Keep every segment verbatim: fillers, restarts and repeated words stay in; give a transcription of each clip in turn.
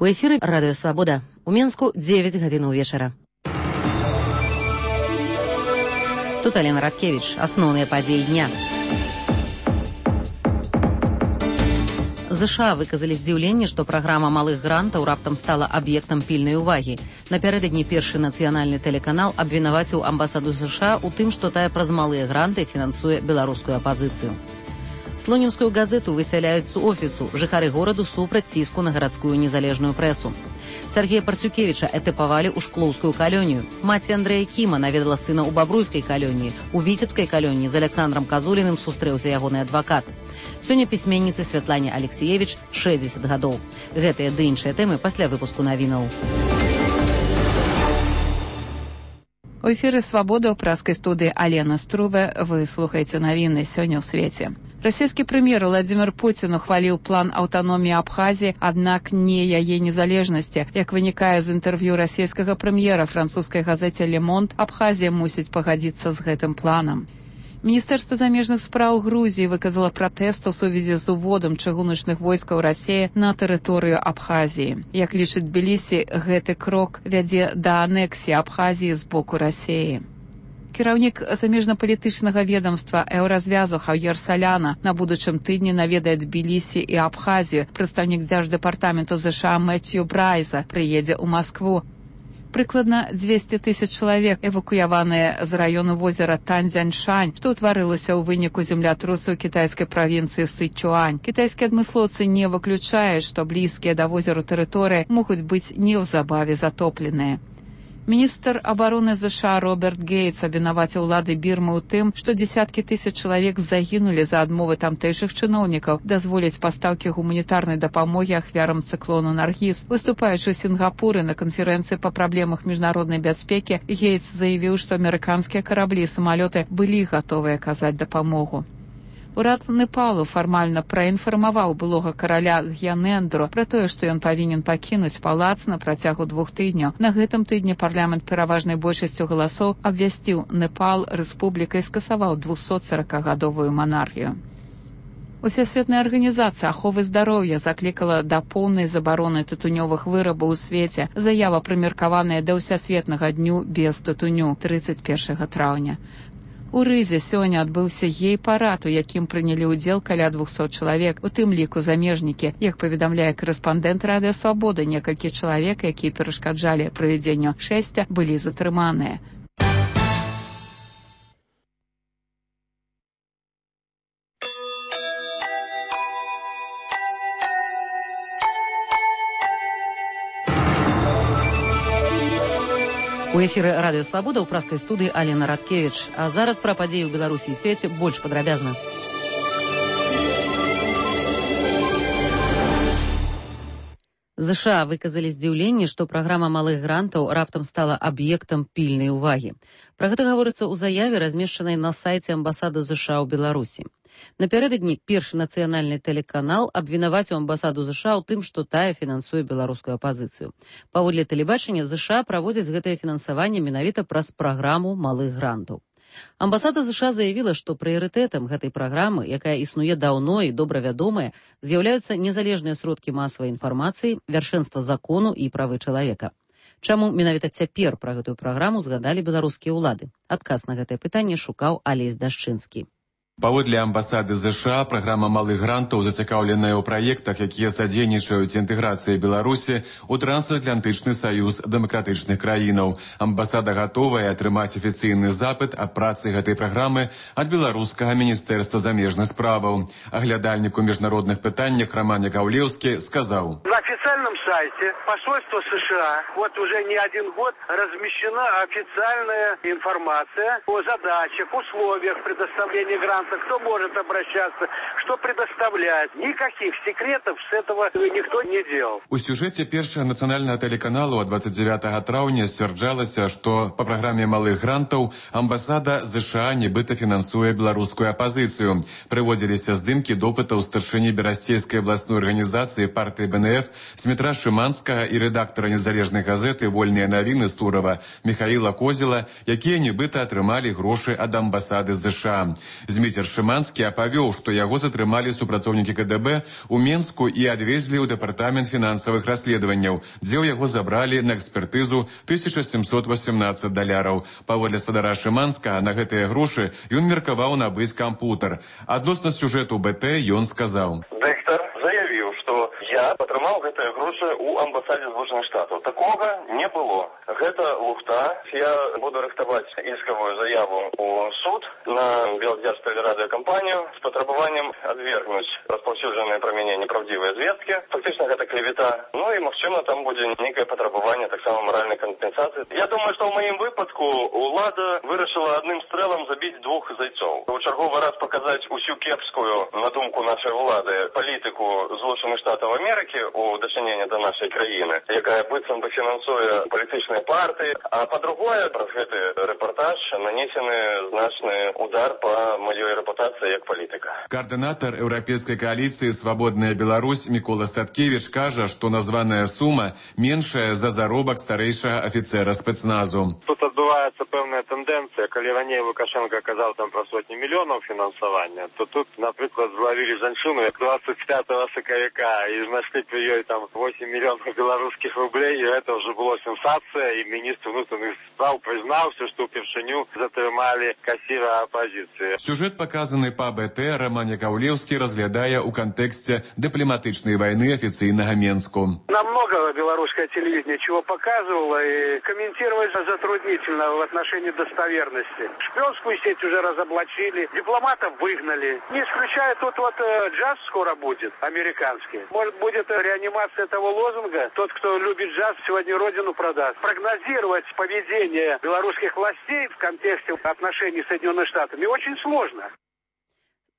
У эфіры Радыё Свабода. У Менску дзевяць гадзінаў вечара. Тут Алена Радкевич. Асноўныя падзеі дня. ЗША выказалі здзіўленне, што праграма малых грантаў раптам стала аб'ектам пільнай увагі. Напярэдадні першы нацыянальны тэлеканал абвінаваціў амбасаду ЗША ў тым, што тая праз малыя гранты фінансуе беларускую апазіцыю. Слонімскую газету высяляюць з офісу. Жыхары гораду супраць ціску на гарадскую незалежную прэсу. Сергея Парцюкевіча этапавалі ў шклоўскую калонію. Маці Андрэя Кіма наведала сына ў бабруйскай калоніі. У віцебскай калоніі з Александром Казуліным сустрэўся ягоны адвакат. Сёння пісьменніцы Святлане Алексеевіч шэсцьдзесят гадоў. Гэтыя ды іншыя тэмы пасля выпуску навінаў. У эфіры «Свабода» ў праскай студыі Алена Струве. Вы слухаеце навіны сёння ў свеце. Расійскі прэм'ер Владзімір Пуцін ухваліў план аўтаноміі Абхазіі, аднак не яе незалежнасці. Як вынікае з інтэрв'ю расійскага прэм'ера французскай газеце «Ле Монд», Абхазія мусіць пагадзіцца з гэтым планам. Міністэрства замежных спраў Грузіі выказала пратэст у сувязі з уводам чыгуначных войскаў Расіі на тэрыторыю Абхазіі. Як лічыць Тбілісі, гэты крок вядзе да анексіі Абхазіі з боку Расіі. Кіраўнік замежнапалітычнага ведомства Еўразвязу Хаўер Саляна на будучым тыдні наведае Тбілісі і Абхазію. Прадстаўнік дзярждэпартаменту ЗША Мэцью Брайза прыедзе ў Маскву. Прыкладна дзвесце тысяч чалавек эвакуяваныя з раёну возера Танзяньшань, што ўтварылася ў выніку землятрусу ў кітайскай правінцыі Сычуань. Кітайскія адмыслоўцы не выключаюць, што блізкія да возеру тэрыторыі могуць быць неўзабаве затопленыя. Міністр абароны ЗША Роберт Гейтс абвінаваціў улады Бірмы ў тым, што дзесяткі тысяч чалавек загінулі за адмовы тамтэйшых чыноўнікаў дазволіць пастаўкі гуманітарнай дапамогі ахвярам цыклону Наргіз. Выступаючы ў Сінгапуры на канферэнцыі па праблемах міжнароднай бяспекі, Гейтс заявіў, што амерыканскія караблі і самалёты былі гатовыя аказаць дапамогу. Урад Непалу фармальна праінфармаваў былога караля Гьянэндру пра тое, што ён павінен пакінуць палац на працягу двух тыдняў. На гэтым тыдні парламент пераважнай большасцю галасоў абвясціў Непал рэспублікай і скасаваў двухсотсоракагадовую манархію. Усесветная арганізацыя аховы здароўя заклікала да поўнай забароны тытунёвых вырабаў у свеце. Заява прымеркаваная да ўсесветнага дню без тытуню трыццаць першага траўня. У Рызе сёння адбыўся гей-парад, у якім прынялі ўдзел каля двухсот чалавек, у тым ліку замежнікі. Як паведамляе карэспандэнт Радыё Свабода, некалькі чалавек, якія перашкаджалі правядзенню шэсця, былі затрыманыя. У эфіры Радыё Свабода ў праскай студыі Алена Радкевич. А зараз пра падзеі ў Беларусі і свеце больш падрабязна. ЗША выказалі здзіўленне, што праграма малых грантаў раптам стала аб'ектам пільнай увагі. Пра гэта гаворыцца ў заяве, размешчанай на сайце амбасады ЗША ў Беларусі. Напярэдадні першы нацыянальны тэлеканал абвінаваціў амбасаду ЗША ў тым, што тая фінансуе беларускую апазіцыю. Паводле тэлебачання ЗША праводзяць гэтае фінансаванне менавіта праз праграму малых грантаў. Амбасада ЗША заявіла, што прыярытэтам гэтай праграмы, якая існуе даўно і добра вядомая, з'яўляюцца незалежныя сродкі масавай інфармацыі, вяршэнства закону і правы чалавека. Чаму менавіта цяпер пра гэтую праграму згадалі беларускія ўлады? Адказ на гэтае пытанне шукаў Алесь Дашчынскі. Паводле амбасады ЗША, праграма малых грантаў зацікаўленая ў праектах, якія садзейнічаюць інтэграцыі Беларусі ў трансатлантычны саюз дэмакратычных краінаў. Амбасада гатовая атрымаць афіцыйны запыт аб працы гэтай праграмы ад беларускага міністэрства замежных справаў. Аглядальнік у міжнародных пытаннях Роман Яковлевскі сказаў: На официальном сайте посольства США вот уже не один год размещена официальная информация о задачах, условиях предоставления грантов, кто может обращаться, что предоставлять. Никаких секретов с этого никто не делал. У сюжэце першага нацыянальнага тэлеканалу ад дваццаць дзявятага траўня сцвярджалася, што па праграме малых грантаў амбасада ЗША нібыта фінансуе беларускую апазіцыю. Прыводзіліся здымкі допытаў старшыні берасцейскай абласной арганізацыі партыі БНФ Змітра Шыманскага і рэдактара незалежнай газеты «Вольныя навіны» з Турова Михаіла Козела, якія нібыта атрымалі грошы ад амбасады ЗША. Зміцер Шыманскі апавёў, што яго затрымалі супрацоўнікі ка дэ бэ у Менску і адвезлі ў дэпартамент фінансавых расследаванняў, дзе ў яго забралі на экспертызу тысяча сямсот васемнаццаць даляраў. Паводле спадара Шыманскага, на гэтыя грошы ён меркаваў набыць кампутер. Адносна сюжэту бэ тэ ён сказаў: Дыктар заявіў, што я атрымаў гэтыя грошы ў амбасадзе Злучаных Штатаў. Такога не было. Гэта лухта. Я буду рыхтаваць іскавую заяву ў суд на Белдзяржтэлерадыёкампанію з патрабаваннем адвергнуць распаўсюджаныя пра мяне неправдзівыя звесткі. Фактычна гэта клевета. Ну і, магчыма, там будзе нейкае патрабаванне таксама маральнай кампенсацыі. Я думаю, што ў маім выпадку ўлада вырашыла адным стрэлам забіць двух зайцоў. У чарговы раз паказаць усю кепскую, на думку нашай улады, палітыку Злучаных Штатаў Амерыкі у дачыненні да нашай краіны, якая быццам бы фінансуе палітычныя партыі. А па-другое, праз гэты рэпартаж нанесены значны удар па маёй рэпутацыі як палітыка. Координатор Еўрапейскай коалиции «Свободная Беларусь» Микола Статкевич кажа, что названая сума меньшая за заробак старейшего офицера спецназу. Тут отбывается певная тенденция. Коли ранее Лукашенко оказал там про сотни миллионов финансования, то тут, например, зловили женщину двадцать пятого сакавика и нашли при ее там восемь миллионов белорусских рублей, и это уже была сенсация, и министр внутренних справ признался, что Першиню затримали кассира оппозиции. Сюжет, показанный по бэ тэ, Роман Яковлевский разглядая у контексте дипломатичной войны официального Менску. Намного белорусское телевидение чего показывало, и комментировать затруднительно в отношении достоверности. Шпионскую сеть уже разоблачили, дипломатов выгнали. Не исключая, тут вот э, джаз скоро будет, американский. Может, будет реанимация этого лозунга. Тот, кто любит джаз, сегодня родину продаст. Прогнозировать поведение белорусских властей в контексте отношений с Соединенными Штатами очень сложно.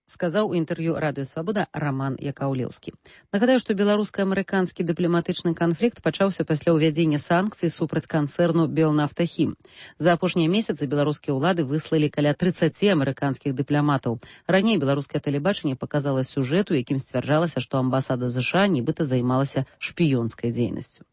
Сказаў у інтэрв'ю радыё Свабода Роман Якаўлеўскі. Нагадаю, што беларуска-амерыканскі дыпламатычны канфлікт пачаўся пасля ўвядзення санкцый супраць канцэрну «Белнафтахім». За апошнія месяцы беларускія ўлады выслалі каля трыццаці амерыканскіх дыпламатаў. Раней беларускае тэлебачанне паказала сюжэт, у якім сцвярджалася, што амбасада ЗША нібыта займалася шпіёнскай дзейнасцю.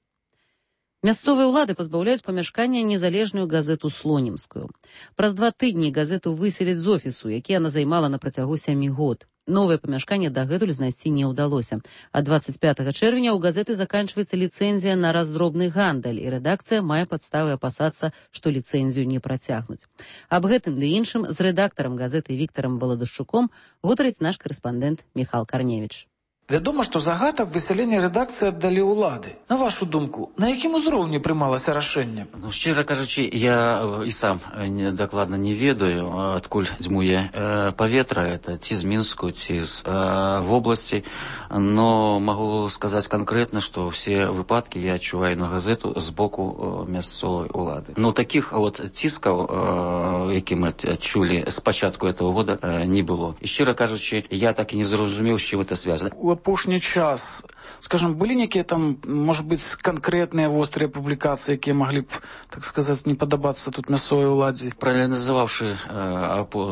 Мясцовыя ўлады пазбаўляюць памяшкання незалежную газету «Слонімскую». Праз два тыдні газету выселяць з офісу, які яна займала на працягу сямі год. Новае памяшканне дагэтуль знайсці не ўдалося. А двадцать пятага чэрвеня ў газеты заканчваецца ліцэнзія на раздробны гандаль, і рэдакцыя мае падставы апасацца, што ліцэнзію не працягнуць. Аб гэтым ды іншым з рэдактарам газеты Віктарам Валадушчуком гутарыць наш карэспандэнт Міхал Карневіч. Вядома, што загадак высялення рэдакцыі аддалі ўлады. На вашу думку, на якім узроўні прымалася рашэнне? Ну, шчыра кажучы, я і сам не, дакладна не ведаю, адкуль дзьмуе э, паветра, это ці з Мінску, ці з э, вобласці, но магу сказаць канкрэтна, што ўсе выпадкі я адчуваю на газету з боку э, мясцовай улады. Но такіх вот ціскаў, э, які мы адчулі з пачатку этого года, э, не было. І шчыра кажучы, я так і не зразумеў, з чым это звязана. Апошні час, скажем, былі некія там, может быть, конкретныя вострыя публікацыі, якія маглі б, так сказаць, не падабацца тут мясцовай уладзе? Проаналізаваўшы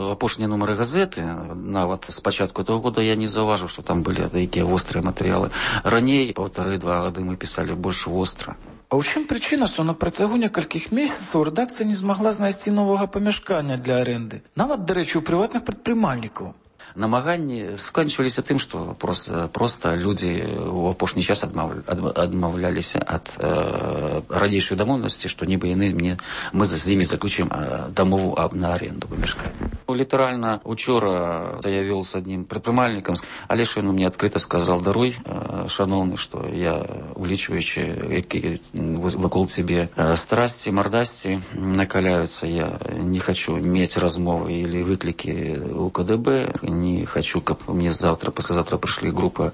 апошнія нумары газеты, нават з пачатку этого года я не заўважыў, што там былі такія вострыя матэрыялы. Раней, паўтары-два гады мы пісалі больш востра. А ў чым прычына, што на працягу некалькіх месяцаў рэдакцыя не змагла знайсці новага памяшкання для арэнды? Нават, дарэчы, у прыватных прадпрымальнікаў. Намаганні сканчваліся тым, што проста, проста людзі ў апошні час адмаўля, адмаўляліся ад э, ранейшай дамоўленасці, што нібы яны мне, мы з імі заключым э, дамову на аренду памяшкання. Літаральна учора я вёл з аднім прадпрымальнікам, але ж ён мне адкрыта сказал: даруй, э, шановны, што я, улічваючы, які вакол цябе э, страсці, мардасці накаляюцца, я не хочу мець размовы или выклікі у ка дэ бэ, не хочу, каб мне завтра, послезавтра прыйшлі група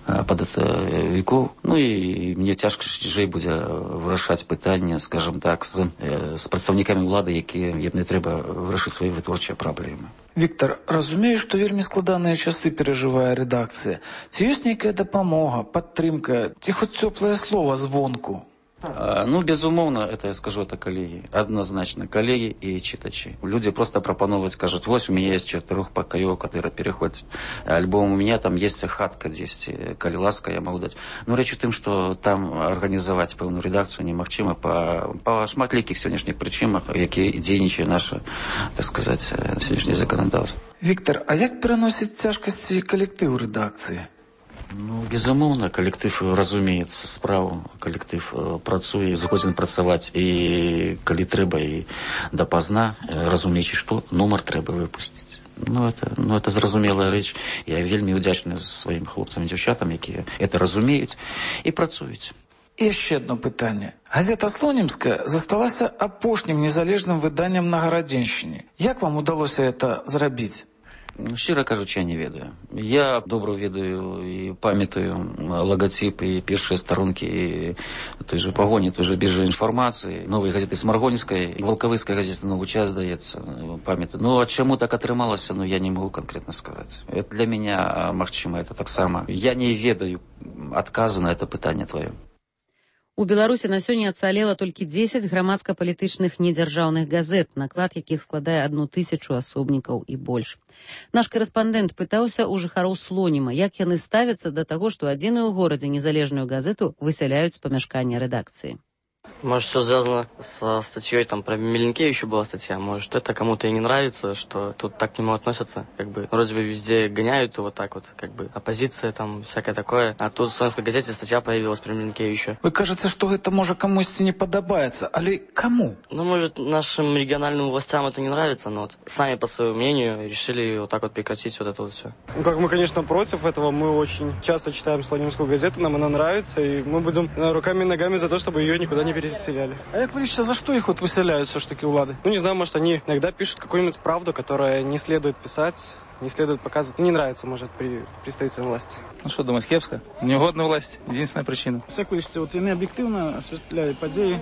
падатавікоў. Ну і мне цяжка жэй будзе вырашаць пытанне, скажем так, з, з прадстаўнікамі ўлады, якія мне трэба вырашыць свае вытворчыя праблемы. Віктор, разумею, што вельмі складаныя часы перажывае рэдакцыя. Ці ёсць нейкая дапамога, падтрымка, ці хоць цёплае слова звонку? Ну, безумоўна, это я скажу, это коллеги. Однозначно, коллеги и читачи. Люди просто пропановывают, скажут, вот у меня есть четырехпокоек, который переходит. Альбом у меня там есть хатка здесь, коли ласка, я могу дать. Но речь о том, что там организовать певную редакцию немагчыма по, по шматликих сегодняшних причинах, які дзейнічае наше, так сказать, сегодняшнее законодательство. Виктор, а як переносить тяжкости коллектив редакции? Ну, безумоўна, калектыв разумеецца справу, калектыв працуе, згодзін працаваць і калі трэба і дапазна, разумеючы, што нумар трэба выпусціць. Ну, это, ну, это зразумелая рэч. Я вельмі ўдзячны сваім хлопцам і дзяўчатам, якія это разумеюць і працуюць. І яшчэ одно пытанне. Газета «Слонімская» засталася апошнім незалежным выданнем на Гарадзеншчыне. Як вам удалося это зрабіць? Щиро кажучи, я не ведаю. Я добре ведаю і пам'ятаю логотип і перші сторонки і той же погоні, той же біржі інформації, нової газети Смаргонівської, і Волковицької газети «Новий час», здається, пам'ятаю. Ну, а чому так атрымалася, ну, я не можу конкретно сказати. Это для меня, магчыма, это так само. Я не ведаю адказу на это пытанне твоё. У Беларусі на сёння ацалела толькі дзесяць грамадска-палітычных недзяржаўных газет, наклад якіх складае адну тысячу асобнікаў і больш. Наш корэспандэнт пытаўся у жыхароў Слоніма, як яны ставяцца да таго, што адзіную ў горадзе незалежную газету высяляюць з памяшкання рэдакцыі. Может, все связано со статьей, там, про Миленкевича была статья. Может, это кому-то и не нравится, что тут так к нему относятся. Как бы, вроде бы везде гоняют его так вот, как бы, оппозиция, там, всякое такое. А тут в Слонімскай газете статья появилась про Миленкевича. Вы кажется, что это, может, кому-то не подобается, але кому? Ну, может, нашим региональным властям это не нравится, но вот сами, по своему мнению, решили вот так вот прекратить вот это вот все. Ну, как мы, конечно, против этого. Мы очень часто читаем Слонимскую газету, нам она нравится, и мы будем руками и ногами за то, чтобы ее никуда не переселяли. А як ви лично, за что их вот выселяют все ж таки влады? Ну, не знаю, может, они иногда пишут какую-нибудь правду, которая не следует писать, не следует показывать. Не нравится, может, при представителям власти. Ну, что думать, кепска? Неугодна власть. Единственная причина. Як ви лічите, от вони об'єктивно освітляють події?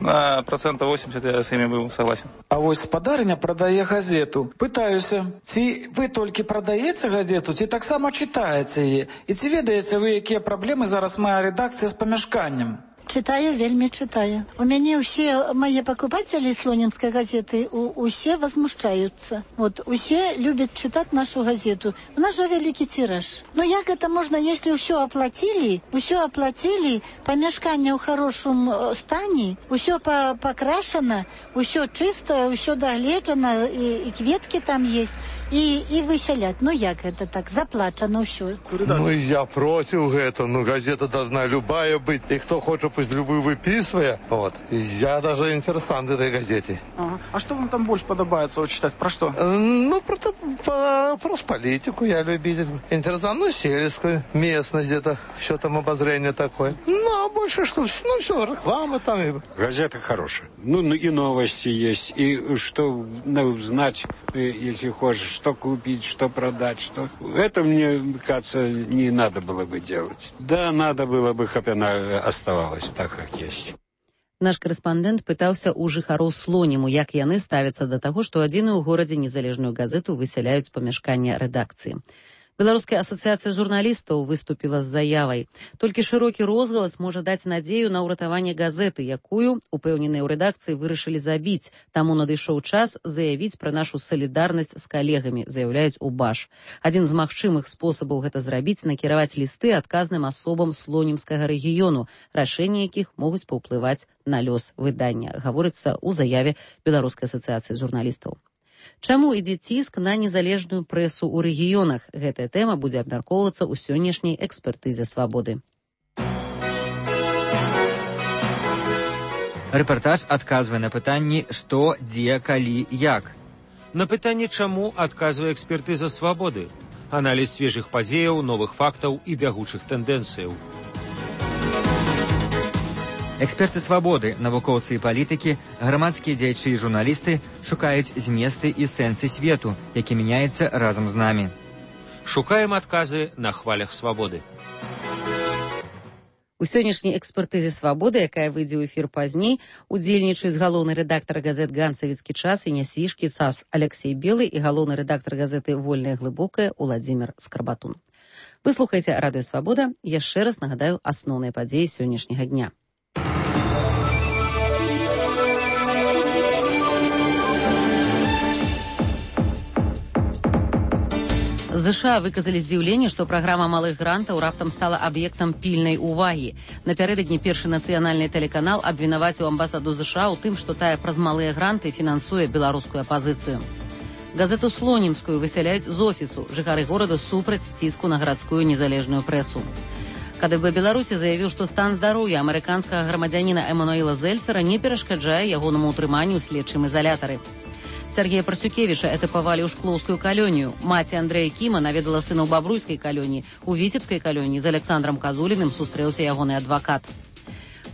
На процентов восемьдесят я с ними был согласен. А вось спадарня продае газету. Пытаюся, ці вы толькі прадаеце газету, ці таксама читаеце яе? І ці ведаеце вы, якія праблемы зараз мае рэдакцыя з памяшканнем? Читаю, вельми читаю. У меня все мои покупатели Слонімской газеты, у, все возмущаются. Вот, все любят читать нашу газету. У нас же великий тираж. Но як это можно, если все оплатили, все оплатили, помешкание в хорошем стане, все по покрашено, все чисто, все догледжено, и, и кветки там есть, и, и выселять. Ну як это так, заплачено все. Ну я против этого, ну газета должна любая быть, и кто хочет пусть любую выписывая, вот. Я даже интересант этой газете. Ага. А что вам там больше подобается вот, читать? Про что? Ну, про, про, про политику я любитель. Интересант, ну, сельскую местность где-то, все там обозрение такое. Ну, а больше что, ну, все, реклама там. Газета хорошая. Ну, и новости есть, и что, ну, знать, если хочешь, что купить, что продать, что... Это, мне кажется, не надо было бы делать. Да, надо было бы, чтобы она оставалась так, как есть. Наш корэспандэнт пытаўся ў жыхароў Слоніму, як яны ставяцца да таго, што адзіную ў горадзе незалежную газету высяляюць з памяшкання рэдакцыі. Беларуская асацыяцыя журналістаў выступіла з заявай. Толькі шырокі розгалас можа даць надзею на ўратаванне газеты, якую, упэўненыя ў рэдакцыі, вырашылі забіць. Таму надышоў час заявіць пра нашу салідарнасць з калегамі, заяўляюць у БАШ. Адзін з магчымых спосабаў гэта зрабіць — накіраваць лісты адказным асобам слонімскага рэгіёну, рашэнні якіх могуць паўплываць на лёс выдання, гаворыцца ў заяве Беларускай асацыяцыі журналістаў. Чаму ідзе ціск на незалежную прэсу ў рэгіёнах? Гэтая тэма будзе абмяркоўвацца ў сённяшняй экспертызе «Свабоды». Рэпартаж адказвае на пытанні «Што, дзе, калі, як?». На пытанне «Чаму» адказвае экспертыза «Свабоды». Аналіз свежых падзеяў, новых фактаў і бягучых тэндэнцыяў. Эксперты «Свабоды», навукоўцы і палітыкі, грамадскія дзеячы і журналісты шукаюць зместы і сэнсы свету, які мяняецца разам з намі. Шукаем адказы на хвалях «Свабоды». У сённяшняй экспертызе «Свабоды», якая выйдзе ў эфір пазней, удзельнічаюць галоўны рэдактар газет «Ганцавіцкі час» і «Нясвіжкі час» Алексей Белы і галоўны рэдактар газеты «Вольная глыбокая» Уладзімір Скарбатун. Вы слухаеце радыё «Свабода». Яшчэ раз нагадаю асноўныя падзеі сённяшняга дня. ЗША выказалі здзіўленне, што праграма малых грантаў раптам стала аб'ектам пільнай увагі. Напярэдадні першы нацыянальны тэлеканал абвінаваціў амбасаду ЗША ў тым, што тая праз малыя гранты фінансуе беларускую апазіцыю. Газету «Слонімскую» высяляюць з офісу. Жыхары горада супраць ціску на гарадскую незалежную прэсу. КДБ Беларусі заявіў, што стан здароўя амерыканскага грамадзяніна Эмануэла Зельцера не перашкаджае ягонаму ўтрыманню ў следчым изалятары. Сергея Парсюкевіча этапавалі ў шклоўскую калонію. Маці Андрэя Кіма наведала сына ў бабруйскай калоніі. У віцебскай калоніі з Александром Казуліным сустрэўся ягоны адвакат.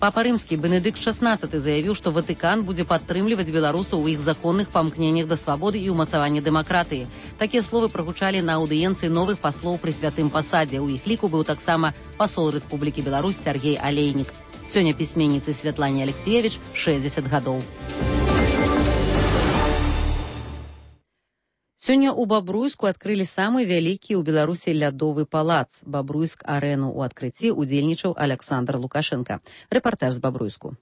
Папа рымскі Бенедыкт шаснаццаты заявіў, што Ватыкан будзе падтрымліваць беларусаў у іх законных памкненнях да свабоды і ўмацавання дэмакратыі. Такія словы прагучалі на аўдыенцыі новых паслоў пры святым пасадзе. У іх ліку быў таксама пасол Рэспублікі Беларусь Сергей Алейнік. Сёння пісьменніцы Святлане Алексеевич шэсцьдзесят гадоў. Сёння ў Бабруйску адкрылі самы вялікі ў Беларусі лядовы палац. Бабруйск-арэну ў адкрыцці удзельнічаў Александр Лукашенко. Рэпартаж з Бабруйску.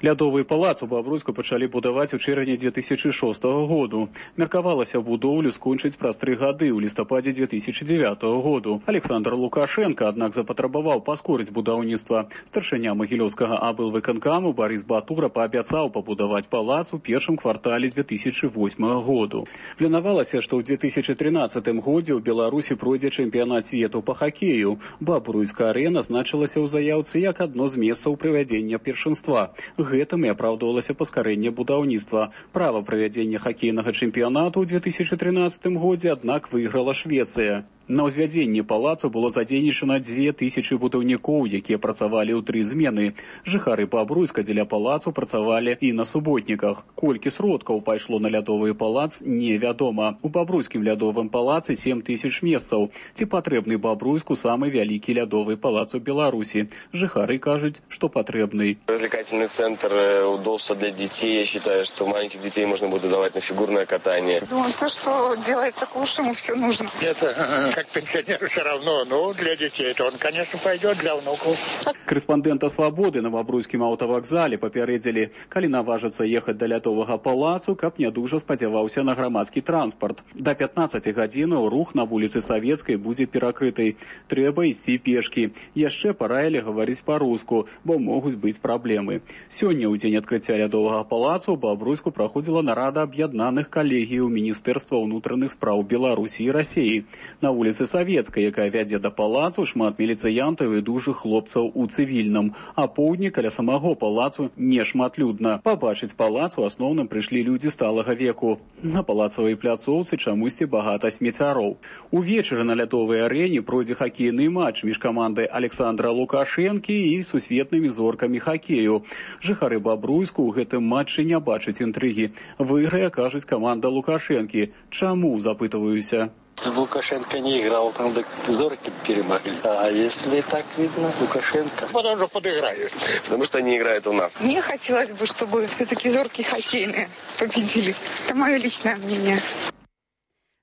Лядовы палац у Бабруйску пачалі будаваць у чэрвені дзве тысячы шостага году. Меркавалася будоўлю скончыць праз тры гады ў лістападзе дзве тысячы дзявятага году. Александр Лукашенко, аднак, запатрабаваў паскорыць будаўніцтва. Старшыня магілёўскага аблвыканкаму Барыс Батура паабяцаў пабудаваць палац у першым квартале дзве тысячы восьмага году. Планавалася, што ў дзве тысячы трынаццатым годзе ў Беларусі пройдзе чэмпіянат свету па хакею. Бабруйска-арэна значылася ў заяўцы як адно з месцаў правядзення першынства. Гэтым і апраўдвалася паскарэнне будаўніцтва. Права правядзення хакейнага чэмпіянату ў дзве тысячы трынаццатым годзе, аднак, выйграла Швецыя. На ўзвядзенні палацу было задзейнічана дзве тысячы будаўнікоў, якія працавалі ў тры змены. Жыхары Бабруйска дзеля палацу працавалі і на суботніках. Колькі сродкаў пайшло на лядовы палац, невядома. У Бабруйскім лядовым палацы сем тысяч месцаў. Ці патрэбны Бабруйску самы вялікі лядовы палац у Беларусі? Жыхары кажуць, што патрэбны. Развлекательный центр, удобства для детей. Я считаю, что маленьких детей можно будет давать на фигурное катание. Думаю, все, что делает такую сумму, все нужно. Это как пенсионеру все равно, но для детей то он, конечно, пойдет, для внуков. Корэспандэнта «Свабоды» на Бабруйскім аўтавакзале папярэдзілі, калі наважыцца ехаць да лядовага палацу, каб не дужа спадзяваўся на грамадскі транспарт. Да пятнаццаці гадзінаў рух на вуліцы Савецкай будзе перакрыты. Трэба ісці пешкі. Яшчэ параілі гаварыць па-руску, бо могуць быць праблемы. Сёння, у дзень адкрыцця лядовага палацу, у Бабруйску праходзіла нарада аб'яднаных калегіяў Міністэрства ўнутраных спраў Беларусі і Расіі. На вуліцы Савецкай, якая вядзе да палацу, шмат міліцыянтаў і дужых хлопцаў у цывільным. А поўдні каля самого палацу не шматлюдна. Пабачыць палац у асноўным прыйшлі людзі сталага веку. На палацавай пляцоўцы чамусьці багата смеццяроў. Увечары на лядовай арэне пройдзе хакейны матч між камандай Александра Лукашэнкі і сусветнымі зоркамі хакею. Жыхары Бабруйску ў гэтым матчы не бачаць інтрыгі. Выйграе, кажуць, каманда Лукашэнкі. Чаму, запытываюся? Лукашенко не играл, там зорки перемогли. А если так видно, Лукашенко... Потому что подыграют. Потому что они играют у нас. Мне хотелось бы, чтобы все-таки зорки хоккейные победили. Это мое личное мнение.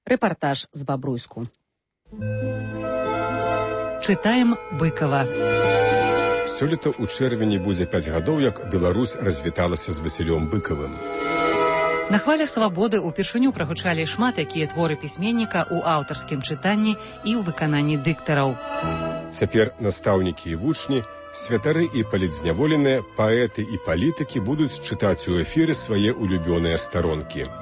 Рэпартаж з Бабруйску. Чытаем Быкова. Сёлета ў чэрвені будзе пяць гадоў, як Беларусь развіталася з Васілём Быкавым. На хвалях свабоды ўпершыню прагучалі шмат якія творы пісьменніка ў аўтарскім чытанні і ў выкананні дыктараў. Цяпер настаўнікі і вучні, святары і палітзняволеныя, паэты і палітыкі будуць чытаць у эфіры свае улюбёныя старонкі.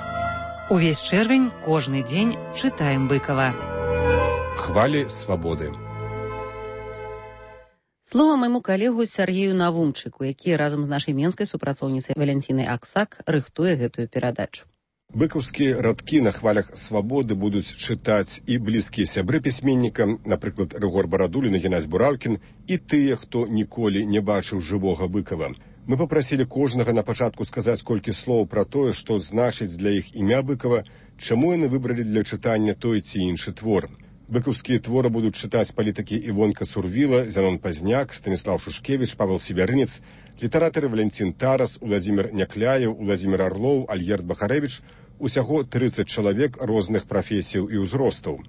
Увесь чэрвень, кожны дзень чытаем Быкава. Хвалі свабоды. Слова майму калегу Сергею Навумчыку, які разам з нашай менскай супрацоўніцай Валянцінай Аксак рыхтуе гэтую перадачу. Быкаўскія радкі на хвалях свабоды будуць чытаць і блізкія сябры пісьменніка, напрыклад, Рыгор Барадулін і Геннадзь Бураўкін, і тыя, хто ніколі не бачыў жывога Быкава. Мы папрасілі кожнага на пачатку сказаць колькі слоў пра тое, што значыць для іх імя Быкава, чаму яны выбралі для чытання той ці іншы твор. Быкаўскія творы будуць чытаць палітыкі Івонка Сурвіла, Зянон Пазняк, Станіслав Шушкевіч, Павел Сібярынец, літаратары Валянцін Тарас, Уладзімір Някляеў, Уладзімір Арлоў, Альгерд Бахарэвіч, усяго трыццаць чалавек розных прафесіяў і ўзростаў.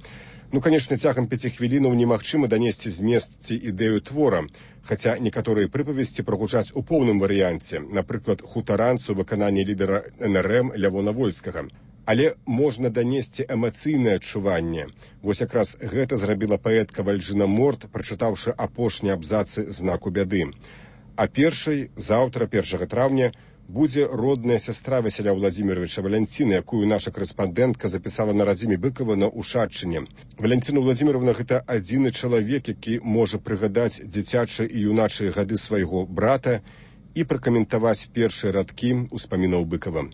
Ну, канечне, цягам пяці хвілінаў немагчыма данесці змест ці ідэю твора, хаця некаторыя прыпавесці прагучаць у поўным варыянце, напрыклад, хутаранцу выкананні лідара эн эр эм Лявона Вольскага. Але можна данесці эмацыйнае адчуванне. Вось якраз гэта зрабіла паэтка Вальжына Морт, прачытаўшы апошнія абзацы знаку бяды. А першай, заўтра, першага траўня, будзе родная сястра Васіля Владзіміровича Валянціна, якую наша корэспандэнтка запісала на радзіме Быкова на Ушаччыне. Валянціна Владзіміровна – гэта адзіны чалавек, які можа прыгадаць дзіцячыя і юначыя гады свайго брата і пракаментаваць першыя радкі ўспамінаў Быкова.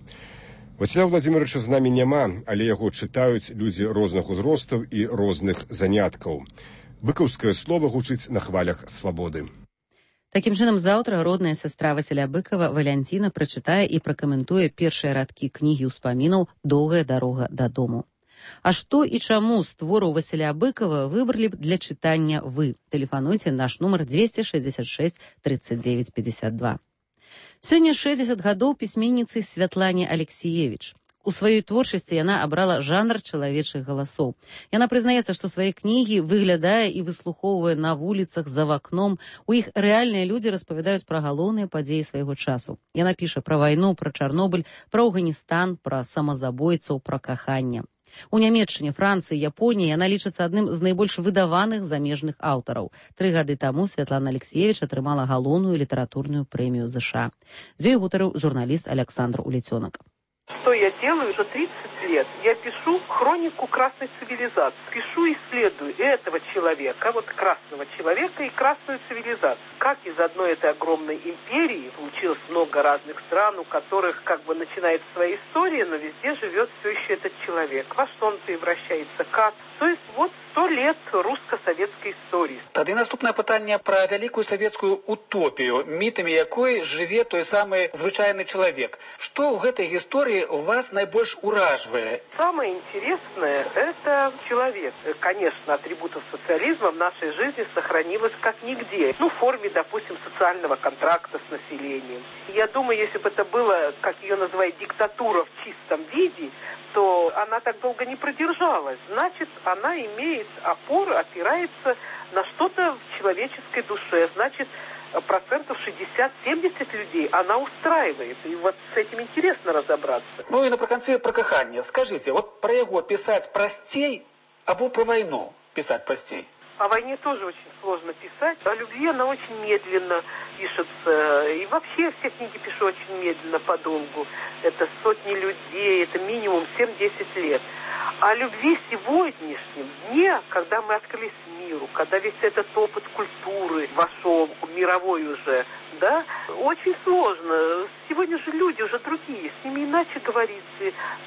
Васіля Владзіміровича з намі няма, але яго чытаюць людзі розных узростаў і розных заняткаў. Быкаўскае слова гучыць на хвалях свабоды. Такім чынам, заўтра родная сястра Васіля Быкова Валянціна прачытае і пракаментуе першыя радкі кнігі ўспамінаў «Доўгая дарога дадому». А што і чаму з твораў Васіля Быкова выбралі б для чытання вы? Тэлефануйце наш нумар двести шестьдесят шесть тридцать девять пятьдесят два. Сёння шэсцьдзесят гадоў пісьменніцы Святлане Алексіевіч. У сваёй творчасці яна абрала жанр чалавечых галасоў. Яна прызнаецца, што свае кнігі выглядае і выслухоўвае на вуліцах за вакном. У іх рэальныя людзі распавядаюць пра галоўныя падзеі свайго часу. Яна піша пра вайну, пра Чарнобыль, пра Афганістан, пра самазабойцаў, пра каханне. У Нямецчыне, Францыі, Японіі яна лічыцца адным з найбольш выдаваных замежных аўтараў. Тры гады таму Святлана Алексіевіч атрымала галоўную літаратурную прэмію ЗША. З ёй гутарыў журналіст Александр Улецёнак. Что я делаю уже тридцать лет? Я пишу хронику красной цивилизации. Пишу и исследую этого человека, вот красного человека и красную цивилизацию. Как из одной этой огромной империи получилось много разных стран, у которых как бы начинается своя история, но везде живет все еще этот человек. Во что он превращается, как? То есть вот сто лет русско-советской истории. Тады наступнае пытанне пра вялікую савецкую утопію, мітамі якой жыве той самы звычайны чалавек. Што ў гэтай гісторыі вас найбольш уражвае? Самое интересное – это человек. Конечно, атрибутов социализма в нашей жизни сохранилось как нигде. Ну, в форме, допустим, социального контракта с населением. Я думаю, если бы это было, как ее называют, диктатура в чистом виде, то она так долго не продержалась. Значит, она имеет опору, опирается на что-то в человеческой душе. Значит, процентов шестьдесят-семьдесят людей она устраивает. И вот с этим интересно разобраться. Ну и напрыканцы про каханне. Скажите, вот про его писать простей, або про войну писать простей? О войне тоже очень сложно писать. О любви она очень медленно пишется. И вообще все книги пишу очень медленно, подолгу. Это сотни людей, это минимум семь-десять лет. О любви сегодняшнем дне, когда мы открылись миру, когда весь этот опыт культуры вошел, мировой уже, да, очень сложно. Сегодня же люди уже другие, с ними иначе говорить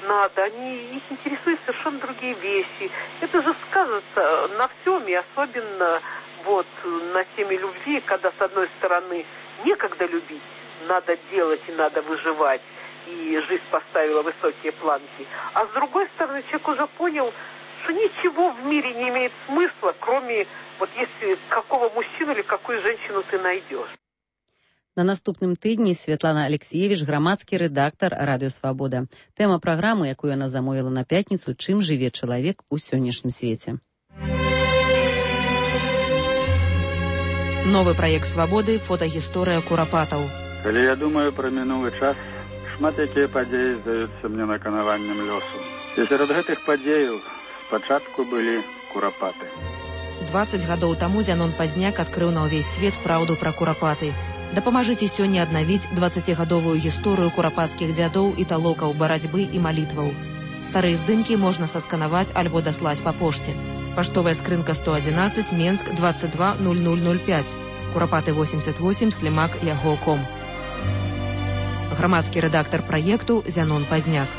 надо, они, их интересуют совершенно другие вещи. Это же сказывается на всем, и особенно вот на теме любви, когда с одной стороны некогда любить, надо делать и надо выживать, и жизнь поставила высокие планки, а с другой стороны человек уже понял, что ничего в мире не имеет смысла, кроме вот если какого мужчину или какую женщину ты найдешь. На наступным тыдні Святлана Алексіевіч, грамадскі рэдактар Радыё Свабода. Тэма праграмы, якую яна замовіла на пятніцу, чым жыве чалавек у сённяшнім свеце. Новы праект «Свабоды» – фотагісторыя курапатаў. Калі я думаю пра мінулы час, шмат якія падзеі здаюцца мне наканаваннем лёсу. І сярод гэтых падзеяў спачатку былі курапаты. дваццаць гадоў таму Зянон Пазняк адкрыў на ўвесь свет праўду пра курапаты. Дапамажыце сёння аднавіць дваццацігадовую гісторыю курапацкіх дзядоў і талокаў барацьбы і малітваў. Старыя здымкі можна сасканаваць альбо даслаць па пошце. Паштовая скрынка сто адзінаццаць, Менск, двадцать два ноль ноль ноль пять. Курапаты восемьдесят восемь, Слімак, яго ком. Грамадскі рэдактар праекту Зянон Пазняк.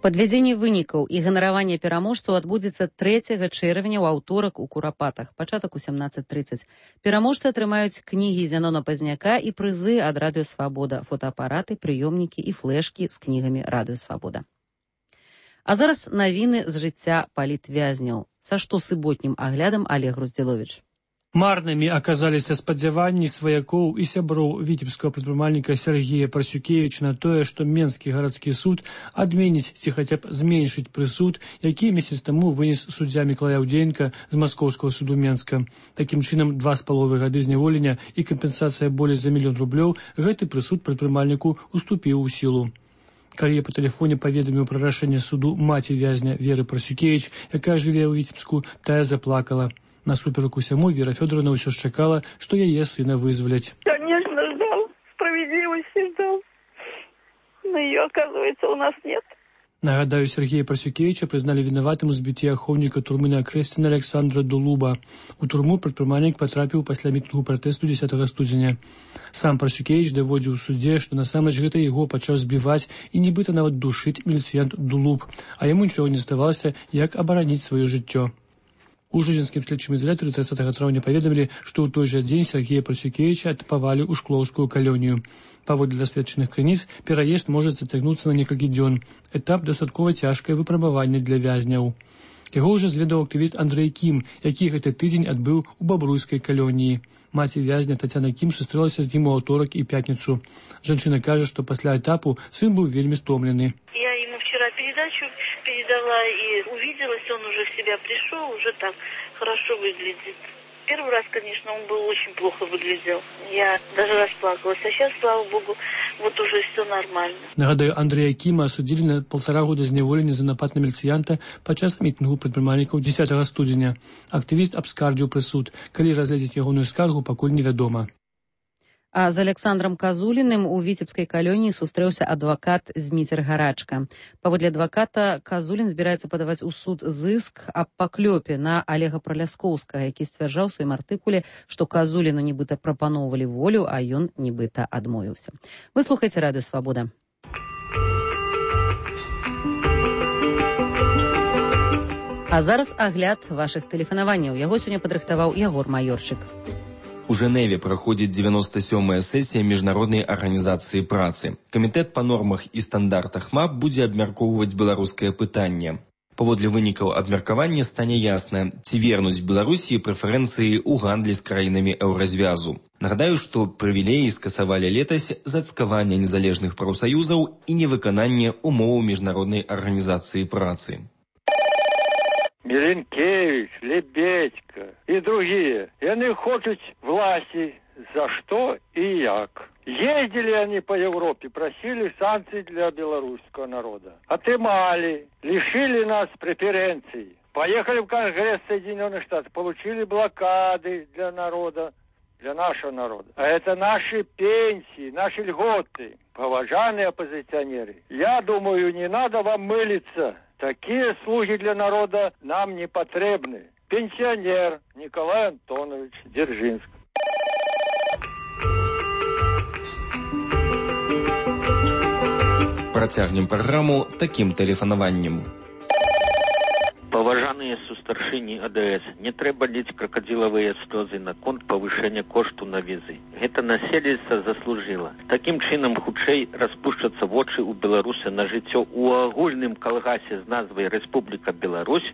Падвядзенне вынікаў і ганараванне пераможцаў адбудзецца трэцяга чэрвеня ў аўторак у Курапатах, пачатак у сямнадцать тридцать. Пераможцы атрымаюць кнігі Зянона Пазняка і прызы ад Радыё Свабода, фотаапараты, прыёмнікі і флешкі з кнігамі Радыё Свабода. А зараз навіны з жыцця палітвязняў. Са штосуботнім аглядам Олег Груздзіловіч. Марнымі аказаліся спадзяванні сваякоў і сяброў віцебскага прадпрымальніка Сергея Парсюкевіча на тое, што Менскі гарадскі суд адменіць ці хаця б зменшыць прысуд, які месяц таму вынес суддзя Мікалай Аўдзеенка з Маскоўскага суду Менска. Такім чынам, два з паловай гады зняволення і кампенсацыя болей за мільён рублёў гэты прысуд прадпрымальніку уступіў у сілу. Калі я па тэлефоне паведаміў пра рашэнне суду маці вязня Веры Парсюкевіч, якая жыве ў Віцебску, тая заплакала. Насуперак усяму Вера Фёдоровна ўсё ж чакала, што яе сына вызваляць. Конечно, ждал. Справедливости ждал. Но ее, оказывается, у нас нет. Нагадаю, Сергея Парсюкевича прызналі вінаватым у збіцці ахоўніка турмы на Акрэсціна Александра Дулуба. У турму прадпрымальнік патрапіў пасля мітынгу пратэсту дзесятага студзеня. Сам Парсюкевич даводзіў у судзе, што насамрэч гэта яго пачаў збіваць і нібыта нават душыць міліцыянт Дулуб, а яму нічога не здавалася, як абараніць сваё жыццё. У жудзінскім следчым ізалятары трыццатага траўня паведамілі, што ў той жа дзень Сергея Парсюкевіча адпавалі ў шклоўскую калонію. Паводле даследчаных крыніц, пераезд можа зацягнуцца на некалькі дзён. Этап дастаткова цяжкае выпрабаванне для вязняў. Яго ўжо зведаў актывіст Андрэй Кім, які гэты тыдзень адбыў у бабруйскай калоніі. Маці вязня Тацяна Кім сустрэлася з ім у аўторак і пятніцу. Жанчына кажа, што пасля этапу сын быў вельмі стомлены. Я ему вчера передачу передала и увиделась, он уже в себя пришел, уже так хорошо выглядит. Первый раз, конечно, он был очень плохо выглядел. Я даже расплакалась. А сейчас, слава богу, вот уже все нормально. Нагадаю, Андрея Кіма асудзілі на полтора года зняволення за напад на міліцыянта падчас мітынгу прадпрымальнікаў дзесятага студзеня. Актывіст абскардзіў прысуд. Калі разгледзець ягоную скаргу, пакуль невядома. А з Александром Казуліным у віцебскай калоніі сустрэўся адвакат Зміцер Гарачка. Паводле адваката, Казулін збіраецца падаваць у суд зыск аб паклёпе на Олега Праляскоўскага, які сцвярджаў у сваім артыкуле, што Казуліну нібыта прапаноўвалі волю, а ён нібыта адмовіўся. Вы слухаеце Радыё Свабода. А зараз агляд вашых тэлефанаванняў. Яго сёння падрыхтаваў Ягор Маёрчык. У Женеве праходзіць дзевяносто сёмая сесія міжнароднай арганізацыі працы. Камітэт па нормах і стандартах МАП будзе абмяркоўваць беларускае пытанне. Паводле вынікаў абмеркавання стане ясна, ці вернуць Беларусі прэферэнцыі ў гандлі з краінамі еўразвязу. Нагадаю, што прывілеі скасавалі летась за цкаванне незалежных прафсаюзаў і невыкананне умоваў міжнароднай арганізацыі працы. Миленкевич, Лебедько и другие. И они хотят власти. За что и як. Ездили они по Европе, просили санкций для белорусского народа. Отымали, лишили нас преференций. Поехали в Конгресс Соединенных Штатов, получили блокады для народа, для нашего народа. А это наши пенсии, наши льготы. Поважанные оппозиционеры, я думаю, не надо вам мылиться. Такие слуги для народа нам не потребны. Пенсионер Николай Антонович Дзержинск. Працягнем праграму такім тэлефанаваннем. Паважаныя сустаршыні А Д С, не трэба ліць кракадзілавыя слёзы наконт павышэння кошту на візы. Гэта насельніцтва заслужыла. Такім чынам хутчэй распушчацца вочы ў беларуса на жыццё ў агульным калгасе з назвай Рэспубліка Беларусь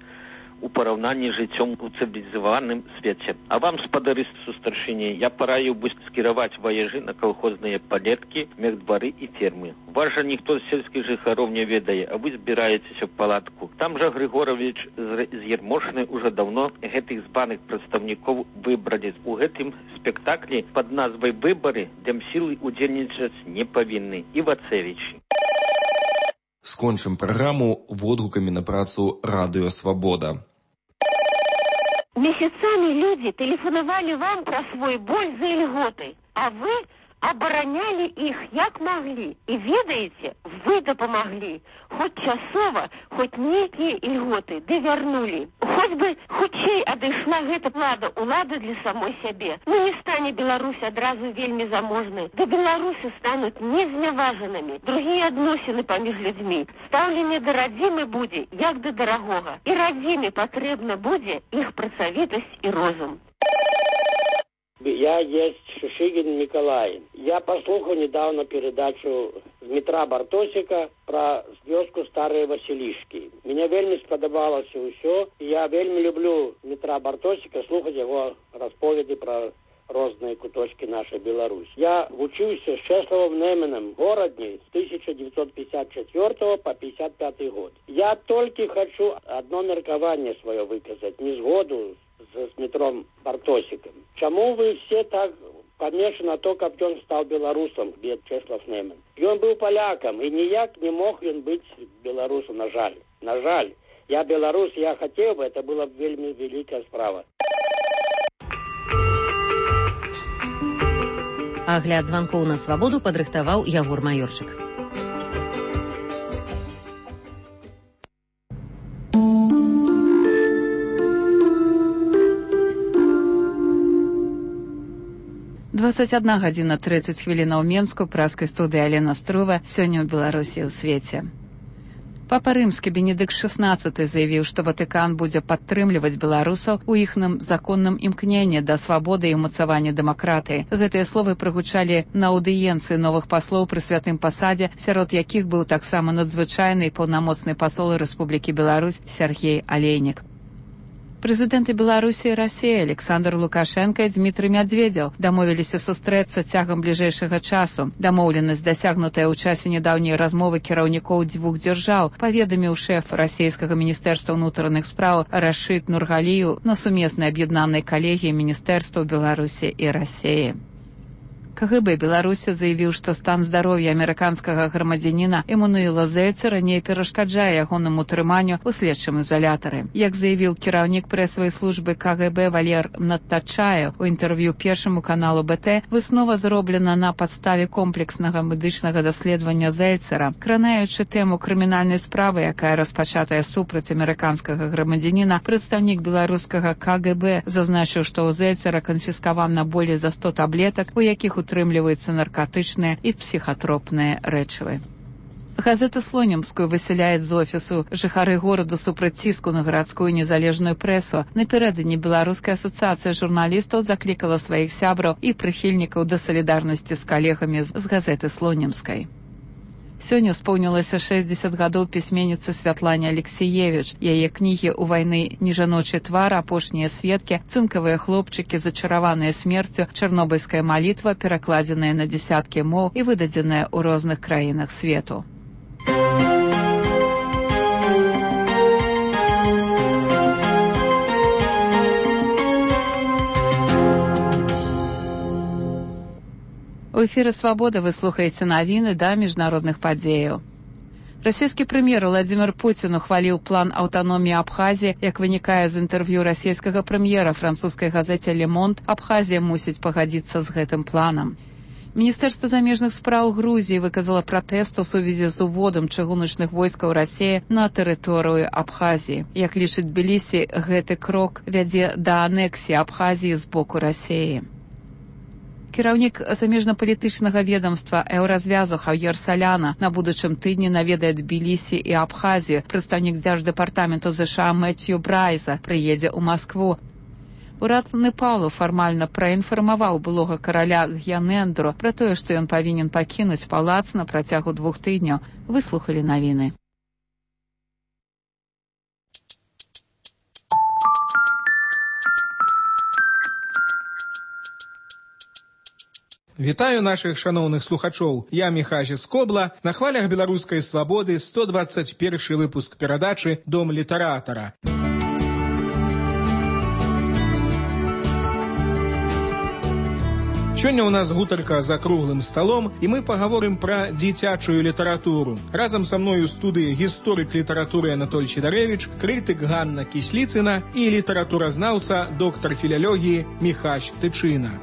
у параўнанні з жыццём у цывілізаваным свеце. А вам, спадары сустаршыні, я параіў бы скіраваць ваяжы на калхозныя палеткі, мехдвары і фермы. Вас жа ніхто з сельскіх жыхароў не ведае, а вы збіраецеся в палатку. Там жа Григорович з Ермошны уже давно гэтых збаных прадстаўнікоў выбралі. У гэтым спектаклі пад назвай «Выбары» дэмсілы удзельнічаць не павінны. Івацевіч. Скончым праграму водгукамі на працу Радыё Свабода. Месяцами люди телефоновали вам про свой боль за льготы, а вы обороняли их як могли. И ведаете, вы допомогли. Хоть часово, хоть некие льготы, да вернули. Хоть бы хутчэй адышла гэта плада улады для самой сябе. Ну не стане Беларусь адразу вельмі заможнай. Да беларусы станут незняважанымі. Другие адносіны паміж людзьмі. Стаўленне да радзімы будзе, як да дарагога. І радзіме патрэбна будзе іх працавітасць і розум. Я есть Шишигин Николай. Я послухал недавно передачу Дмитра Бартосика про вёску Старые Василишки. Мне вельми сподобалося ўсё. Я вельми люблю Дмитра Бартосика, слухать его расповеди про разные куточки нашей Беларуси. Я учился с Чесловым Неменом в городе с тысяча девятьсот пятьдесят четвёртого по пятьдесят пятый год. Я только хочу одно меркование свое выказать, не сгоду с Дмитром Бартосиком. Чему вы все так помешаны на то, как он стал белорусом, где Чеслов Немен? И он был поляком, и никак не мог он быть белорусом, на жаль. На жаль. Я белорус, я хотел бы, это была вельми великая справа. Агляд званкоў на свабоду падрыхтаваў Ягор Маёрчык. двадцать одна гадзіна тридцать хвілінаў Менску, праскай студыі Алена Струва, сёння ў Беларусі ў свеце. Папа Рымскі Бенедыкт шестнадцаты заявіў, што Ватыкан будзе падтрымліваць беларусаў у іхным законным імкненні да свабоды і ўмацавання дэмакратыі. Гэтыя словы прагучалі на аўдыенцыі новых паслоў пры святым пасадзе, сярод якіх быў таксама надзвычайны і паўнамоцны пасол Рэспублікі Беларусь Сергей Алейнік. Прэзідэнты Беларусі і Расіі Александр Лукашенко і Дмітрый Мядзведзеў дамовіліся сустрэцца цягам бліжэйшага часу. Дамоўленасць, дасягнутая ў часе нядаўняй размовы кіраўнікоў дзвюх дзяржаў, паведаміў шэф расійскага міністэрства ўнутраных спраў Рашид Нургалію на сумеснай аб'яднанай калегіі міністэрстваў Беларусі і Расіі. КГБ Беларусі заявіў, што стан здароўя амерыканскага грамадзяніна Эммануэла Зельцера не перашкаджае ягонаму утрыманню ў следчым ізалятары. Як заявіў кіраўнік прэсавай службы КГБ Валер Надтачаев у інтэрв'ю першаму каналу БТ, выснова зроблена на падставе комплекснага медычнага даследавання Зельцера. Кранаючы тэму крымінальнай справы, якая распачатая супраць амерыканскага грамадзяніна, прадстаўнік беларускага КГБ зазначыў, што ў Зельцера канфіскавана болей за сто таблетак, у якіх утрымліваюцца наркотычныя і псіхатропныя рэчывы. Газету «Слонімскую» высяляюць з офісу. Жыхары гораду супраць ціску на гарадскую незалежную прэсу. Напярэдадні Беларуская асацыяцыя журналістаў заклікала сваіх сябраў і прыхільнікаў да салідарнасці з калегамі з газеты «Слонімскай». Сёння споўнілася шэсцьдзесят гадоў пісьменніцы Святлане Алексеевіч. Яе кнігі «У вайны нежаночы твар», «Апошнія сведкі», «Цынкавыя хлопчыкі», «Зачараваныя смерцю», «Чарнобыльская малітва» перакладзеныя на дзесяткі моў і выдадзеныя ў розных краінах свету. У эфіры «Свабода» вы слухаеце навіны да міжнародных падзеяў. Расійскі прэм'ер Владзімір Пуцін ухваліў план аўтаноміі Абхазіі. Як вынікае з інтэрв'ю расійскага прэм'ера французскай газеце «Le Monde», Абхазія мусіць пагадзіцца з гэтым планам. Міністэрства замежных спраў Грузіі выказала пратэст у сувязі з уводам чыгуначных войскаў Расіі на тэрыторыю Абхазіі. Як лічыць Тбілісі, гэты крок вядзе да анексіі Абхазіі з боку Расіі. Кіраўнік замежнапалітычнага ведомства Еўразвязу Хаўер Саляна на будучым тыдні наведае Тбілісі і Абхазію. Прадстаўнік дзярждэпартаменту ЗША Мэцью Брайза прыедзе ў Маскву. Урад Непалу фармальна праінфармаваў былога караля Гьянэндру пра тое, што ён павінен пакінуць палац на працягу двух тыдняў. Выслухалі навіны. Вітаю нашых шаноўных слухачоў. Я Міхась Скобла. На хвалях беларускай свабоды сто двадцать першы выпуск перадачы «Дом літаратара». Сёння ў нас гутарка за круглым сталом, і мы пагаворым пра дзіцячую літаратуру. Разам са мною ў студыі гісторык літаратуры Анатоль Сідарэвіч, крытык Ганна Кісліцына і літаратуразнаўца, доктар філялогіі Міхась Тычына.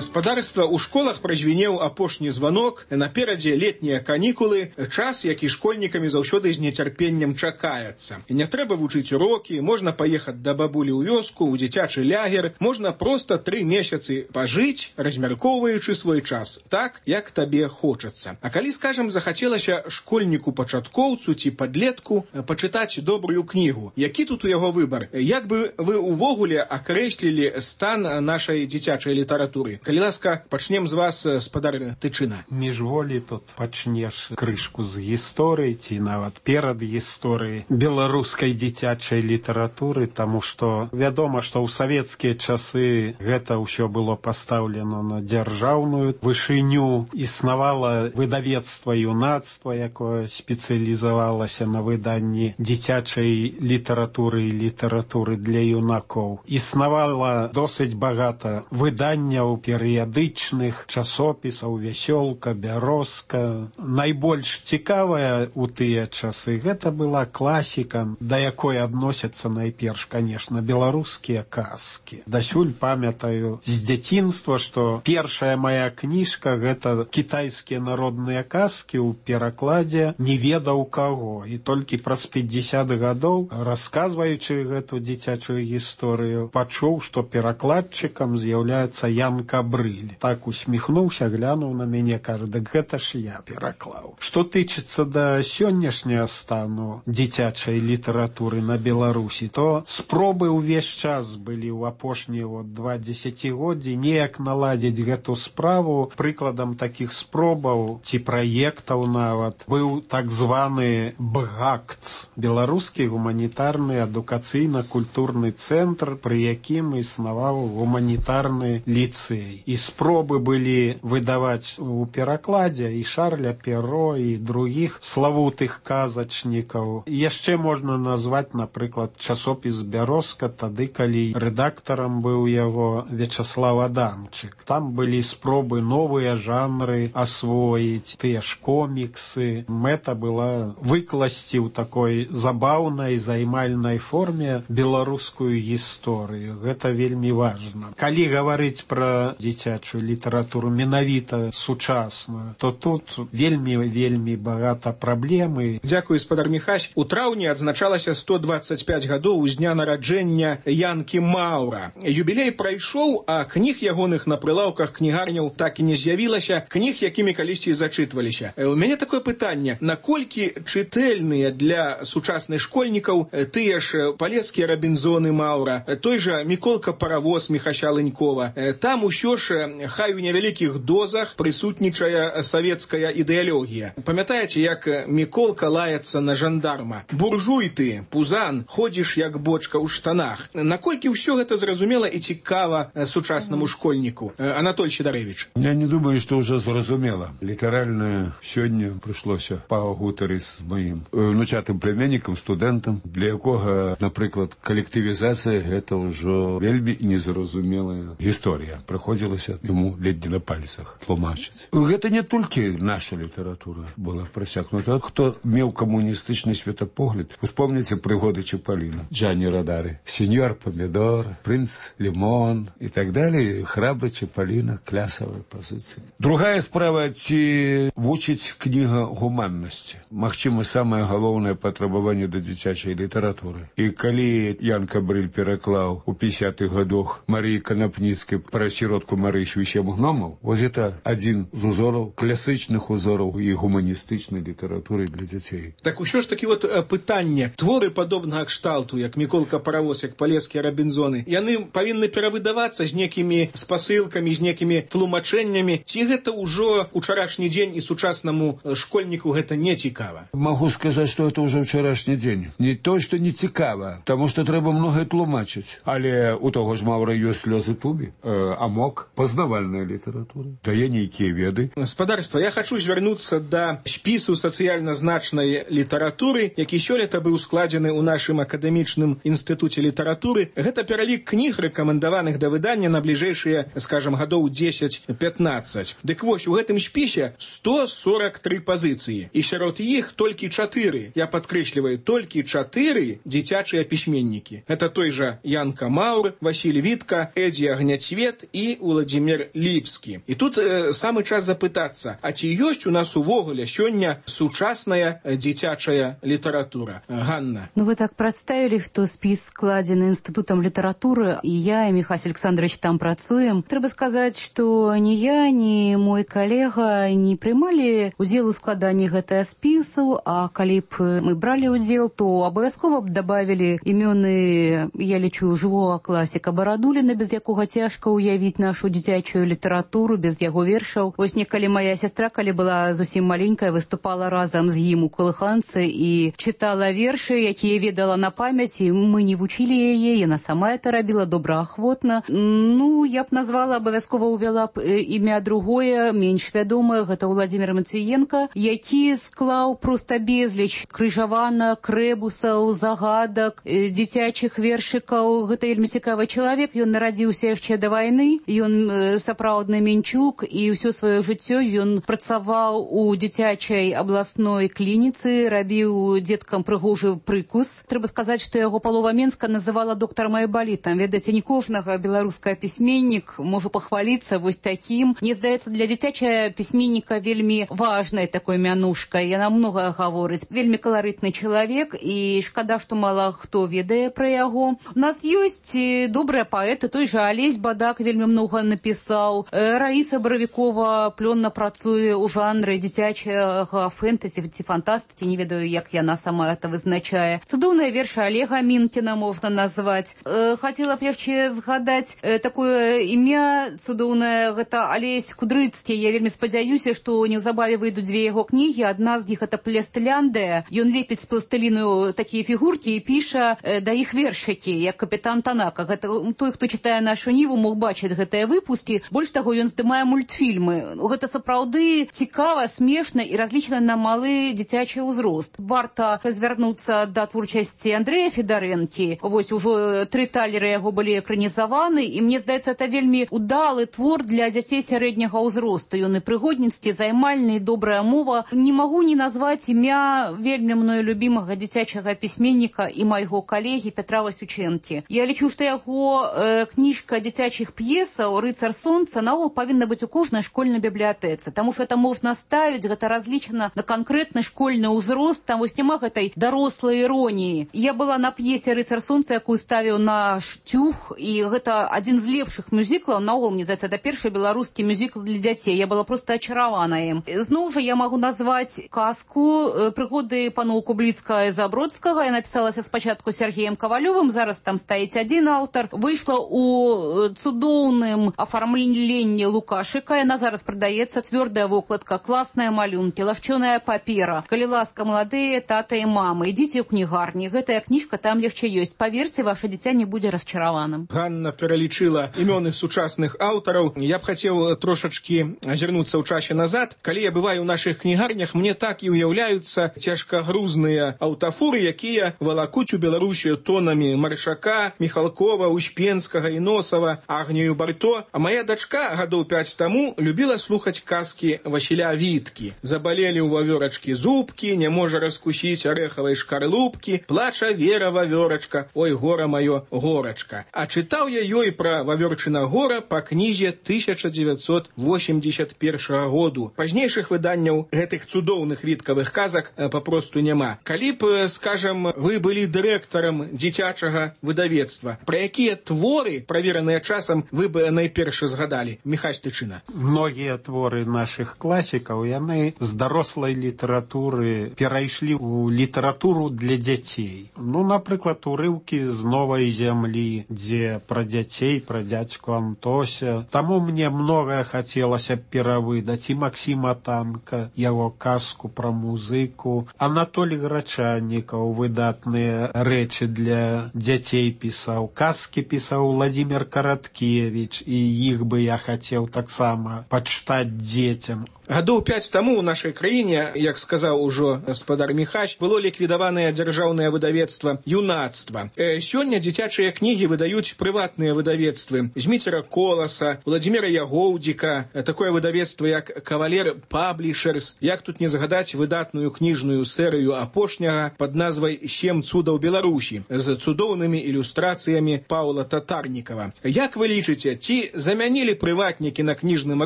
Гаспадарства, у школах празвінеў апошні званок, наперадзе летнія канікулы, час, які школьнікамі заўсёды з нецярпеннем чакаецца. І не трэба вучыць урокі, можна паехаць да бабулі ў вёску, у дзіцячы лягер, можна проста тры месяцы пажыць, размяркоўваючы свой час, так, як табе хочацца. А калі, скажам, захацелася школьніку-пачаткоўцу ці падлетку пачытаць добрую кнігу, які тут у яго выбар? Як бы вы увогуле акрэслілі стан нашай дзіцячай літаратуры? Калі ласка, пачнем з вас, спадар Тычына. Міжволі тут пачнеш крышку з гісторыі ці нават перад гісторыяй беларускай дзіцячай літаратуры, таму што вядома, што ў савецкія часы гэта ўсё было пастаўлена на дзяржаўную вышыню. Існавала выдавецтва юнацтва, якое спецыялізавалася на выданні дзіцячай літаратуры і літаратуры для юнакоў. Існавала досыць багата выданняў перыядычных, часопісаў, вясёлка, бярозка. Найбольш цікавая ў тыя часы гэта была класіка, да якой адносяцца найперш, канешне, беларускія казкі. Дасюль памятаю з дзяцінства, што першая моя кніжка гэта кітайскія народныя казкі ў перакладзе не ведаў каго. І толькі праз пятьдесят гадоў, расказваючы гэту дзіцячую гісторыю, пачуў, што перакладчыкам з'яўляецца Ян Кабрыль. Так усміхнуўся, глянуў на мяне, кажа, дык гэта ж я пераклаў. Што тычыцца да сённяшняга стану дзіцячай літаратуры на Беларусі, то спробы ўвесь час былі ў апошнія вот два дзесяцігоддзі неяк наладзіць гэту справу. Прыкладам такіх спробаў ці праектаў нават быў так званы БГАКЦ, беларускі гуманітарны адукацыйна-культурны цэнтр, пры якім існаваў гуманітарны ліцэй. І спробы былі выдаваць у перакладзе і Шарля Перро, і другіх славутых казачнікаў. Яшчэ можна назваць, напрыклад, часопіс «Бярозка», тады, калі рэдактарам быў яго Вячаслав Адамчык. Там былі спробы новыя жанры асвоіць, тыя ж коміксы. Мэта была выкласці ў такой забаўнай, займальнай форме беларускую гісторыю. Гэта вельмі важна. Калі гаварыць пра дзіцячую літаратуру менавіта сучасную, то тут вельмі-вельмі багата праблемы. Дзякуй, спадар Міхась. У траўні адзначалася сто двадцать пять гадоў з дня нараджэння Янкі Маўра. Юбілей прайшоў, а кніг ягоных на прылаўках кнігарняў так і не з'явілася, кніг, якімі калісьці зачытваліся. У мяне такое пытанне: наколькі чытэльныя для сучасных школьнікаў тыя ж палецкія Рабінзоны Маўра, той жа Міколка Паравоз Міхася Лынькова? Там усё ж, хай у невялікіх дозах, прысутнічае савецкая ідэалогія. Памятаеце, як Міколка лаецца на жандарма? Буржуй ты, пузан, ходзіш як бочка ў штанах. Наколькі ўсё гэта зразумела і цікава сучаснаму школьніку? Анатоль Сідарэвіч. Я не думаю, што ўжо зразумела. Літаральна сёння прыйшлося пагутарыць з маім внучатым племяннікам, студэнтам, для якога, напрыклад, калектывізацыя гэта ўжо вельмі незразумелая гісторыя. Прыходзілася яму ледзьне на пальцах тлумачыць. Гэта не толькі наша літаратура была прасякнута. Хто меў камуністычны светапогляд, успомніце прыгоды Чапаліна, Джанні Радары, сеньор Помідор, прынц Лімон і так далее. Храбры Чапаліна, клясавая пазіцыя. Другая справа, ці вучыць кніга гуманнасці. Магчыма, самае галоўнае патрабаванне да дзіцячай літаратуры. І калі Ян Кабрыль пераклаў у пятидесятых гадах Марыі Канапніцкай пра сіротку Марысю і сем гномаў, вось гэта адзін з узораў, класычных узораў і гуманістычнай літаратуры для дзяцей. Так усё ж такі вот пытанне. Творы падобнага кшталту, як Міколка Паравоз, як палецкія Рабінзоны, яны павінны перавыдавацца з некімі спасылкамі, з некімі тлумачэннямі. Ці гэта ўжо учарашні дзень і сучаснаму школьніку гэта не цікава? Могу сказаць, што это ўжо ўчарашні дзень. Не то, што не цікава, таму што трэба многае тлумачыць. Але у таго ж Маўра ёсць слёзы тубі, э, амок, пазнавальная літаратура, дае нейкія веды. Спадарства, я хачу звярнуцца да спісу сацыяльна значнай літаратуры, які сёлета быў складзены ў нашым акадэмічным інстытуце літаратуры. Гэта пералік кніг, рэкамендаваных да выдання на бліжэйшыя, скажам, гадоў дзесяць пятнаццаць. Дык вось, у гэтым спісе сто сорок три пазіцыі. І сярод іх толькі чатыры, я падкрэсліваю, толькі чатыры дзіцячыя пісьменнікі. Гэта той жа Янка Маўр, Васіль Вітка, Эдзі Агняцвет і Уладзімір Владзімир Ліпскі. І тут э, самы час запытацца, а ці ёсць у нас увогуле сёння сучасная дзіцячая літаратура? Ганна. Ну, вы так представили, что спіс складзены Институтом литературы, и я, и Михаил Александрович там працуем. Трэба сказаць, что ни я, ни мой коллега не прымалі удзел у складанні гэтага спісу, а калі б мы бралі удзел, то абавязкова б добавили імёны, я лічу, жывога класіка Барадуліна, без якога цяжка уявіць нашу дзіцячую літаратуру, без яго вершаў. Вось некалі моя сестра, калі была зусім маленькая, выступала разам з ім у калыханцы і чытала вершы, якія ведала на памяць, і мы не вучылі яе, яна сама это рабіла добраахвотна. Ну, я б назвала, абавязкова увяла б імя другое, менш вядомае, гэта Владзімир Мацыенка, які склаў проста безліч крыжаванак, рэбусаў, загадак, дзіцячых вершыкаў. Гэта вельмі цікавы чалавек, ён нарадзіўся яшчэ да вайны, ён сапраўдны мінчук, і ўсё сваё жыццё ён працаваў у дзіцячай абласной клініцы, рабіў дзеткам прыгожы прыкус. Трэба сказаць, што яго палова Менска называла доктарам айбалітам. Ведаеце, не кожнага беларускага пісьменнік можа пахваліцца вось такім. Мне здаецца, для дзіцячага пісьменніка вельмі важная такой мянушка. Яна многае гаворыць. Вельмі каларытны чалавек, і шкада, што мала хто ведае пра яго. У нас ёсць добрыя паэты, той жа Алесь Бадак вельмі многа напісаў. Раіса Баравікова плённа працуе ў жанры дзіцячага фэнтэзі ці фантастыкі, не ведаю, як яна сама это вызначае. Цудоўныя вершы Олега Мінкіна можна назваць. Э, хацела б яшчэ згадаць э, такое імя цудоўнае, гэта Алесь Кудрыцкі. Я вельмі спадзяюся, што неўзабаве выйдуць дзве яго кнігі. Адна з іх это Пластыляндыя. Ён лепіць з пластыліну такія фігуркі і піша э, да іх вершыкі, як капітан Танака. Гэта той, хто чытае нашу ніву, мог бачыць гэтыя выпускі. Больш таго, ён здымае мультфільмы. Гэта сапраўды цікава, смешна і разлічана на малы дзіцячы ўзрост. Варта звярнуцца да творчасці Андрэя Федарэнкі. Вось ужо тры талеры яго былі экранізаваны, і мне здаецца, это вельмі удалы твор для дзяцей сярэдняга ўзросту. Ён і прыгодніцкі, займальны, і добрая мова. Не магу не назваць імя вельмі мною любімага дзіцячага пісьменніка і майго калегі Петра Васючэнкі. Я лічу, што яго э, кніжка дзіцячых п'есаў «Рыцар сонца» наогул павінна быць у кожнай школьнай бібліятэцы, таму што это можна ставіць, гэта разлічана на канкрэтны школьны ўзрост, там вось няма гэтай дарослай іроніі. Я была на п'есе «Рыцар сонца», якую ставіў наш Тюх, і гэта адзін з лепшых мюзіклаў, наогул, мне здаецца, это першы беларускі мюзікл для дзяцей. Я была проста ачаравана ім. Зноў жа я магу назваць казку «Прыгоды паноў Кубліцкага і Забродскага». Я напісалася спачатку Сергеем Кавалёвым, зараз там стаіць адзін аўтар. Выйшла ў цудоўным афармленні Лукашыка, яна зараз прадаецца, цвёрдая вокладка, класныя малюнкі, лашчоная папера. Калі ласка, маладыя тата і мамы, ідзіце ў кнігарні, гэтая кніжка там яшчэ ёсць. Паверце, ваше дзіця не будзе расчараваным. Ганна пералічыла імёны сучасных аўтараў. Я б хацеў трошачкі азірнуцца ў часе назад. Калі я бываю ў нашых кнігарнях, мне так і ўяўляюцца цяжкагрузныя аўтафуры, якія валакуць у Беларусію тонамі Маршака, Міхалкова, Успенскага і Носава, Агнію Барто. А моя дачка гадоў пяць таму любіла слухаць казкі Васіля Віткі. Забалелі ў вавёрачкі зубкі, не можа раскусіць арэхавай шкарлупкі, плача Вера вавёрачка, ой, гора маё, горачка. А чытаў я ёй пра вавёрчына гора па кнізе тысяча дзевяцьсот восемьдесят першага году. Пазнейшых выданняў гэтых цудоўных віткавых казак папросту няма. Калі б, скажам, вы былі дырэктарам дзіцячага выдавецтва, пра якія творы, правераныя часам, вы бы найперш згадалі? Міхась Тычына. Многія творы нашых класікаў, яны з дарослай літаратуры перайшлі ў літаратуру для дзяцей. Ну, напрыклад, урыўкі з новай зямлі, дзе пра дзяцей, пра дзядзьку Антося. Таму мне многае хацелася перавыдаць. І Максіма Танка, яго казку пра музыку. Анатолій Грачаннікаў выдатныя рэчы для дзяцей пісаў. Казкі пісаў Владзімир Караткевіч, і іх бы я хацеў таксама пачытаць дзецям. Гадоў пяць таму ў нашай краіне, як сказаў ужо гаспадар Міхась, было ліквідаванае дзяржаўнае выдавецтва «Юнацтва». Э, сёння дзіцячыя кнігі выдаюць прыватныя выдавецтвы Зміцера Коласа, Владзіміра Ягоўдзіка, такое выдавецтва як «Кавалер Паблішерс». Як тут не згадаць выдатную кніжную серыю апошняга пад назвай «Сем цудаў Беларусі» з цудоўнымі ілюстрацыямі Паўла Татарнікава. Як вы лічыце, ці замянілі прыватнікі на кніжным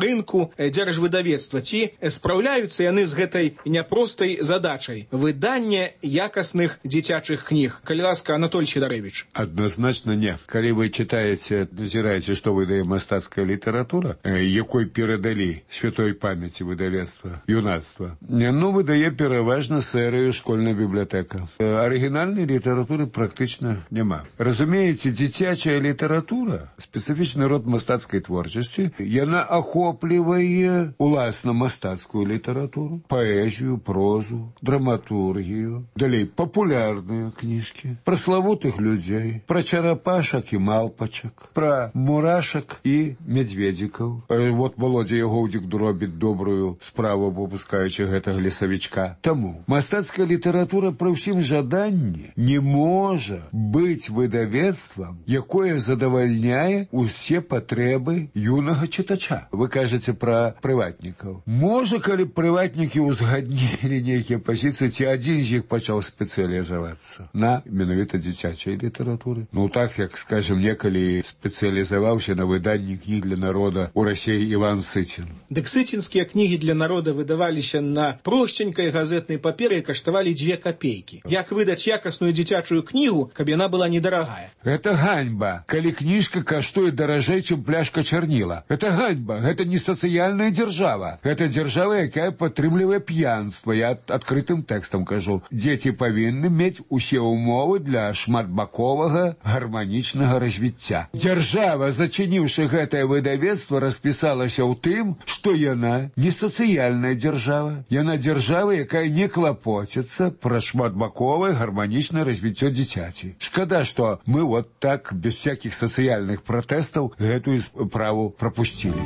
рынку дзяржвыдавецтва, ці спраўляюцца яны з гэтай няпростай задачай выдання якасных дзіцячых кніг? Калі ласка, Анатоль Сідарэвіч. Адназначна не. Калі вы читаеце, назіраеце, што выдае мастацкая літаратура, якой перадалі святой памяці выдавецтва «Юнацтва», ну, выдае пераважна серыю «Школьная бібліятэка». Арыгінальнай літаратуры практычна няма. Разумееце, дзіцячая літаратура, спецыфічны род мастацкай творчасці, яна ахоплівае уласна мастацкую літаратуру, паэзію, прозу, драматургію, далей папулярныя кніжкі, пра славутых людзей, пра чарапашак і малпачак, пра мурашак і мядзведзікаў. Вот Володя Ягоўдзік робіць добрую справу, выпускаючы гэтага лесавічка. Таму мастацкая літаратура пры ўсім жаданні не можа быць выдавецтвам, якое задавальняе усе патрэбы юнага чытача. Вы кажаце пра прыватнікаў. Можа, калі прыватнікі ўзгаднілі нейкія пазіцыі, ці адзін з іх пачаў спецыялізавацца на менавіта дзіцячай літаратуры. Ну так, як, скажем, некалі спецыялізаваўся на выданні кніг для народа ў Расіі Іван Сыцін. Дык сыцінскія кнігі для народа выдаваліся на просценькай газетнай паперы і каштавалі дзве капейкі. Як выдаць якасную дзіцячую кнігу, каб яна была недарагая? Гэта ганьба, калі кніжка каштуе даражэй, чым пляшка чарніла. Гэта ганьба, гэта не сацыяльная дзяржава. Гэта дзяржава, якая падтрымлівае п'янства. Я адкрытым тэкстам кажу. Дзеці павінны мець усе ўмовы для шматбаковага гарманічнага развіцця. Дзяржава, зачыніўшы гэтае выдавецтва, распісалася ў тым, што яна не сацыяльная дзяржава. Яна дзяржава, якая не клапоціцца пра шматбаковае гарманічнае развіццё дзіцяці. Шкада, што мы вот так, без всякіх сацыяльных пратэстаў, гэтую справу прапусцілі.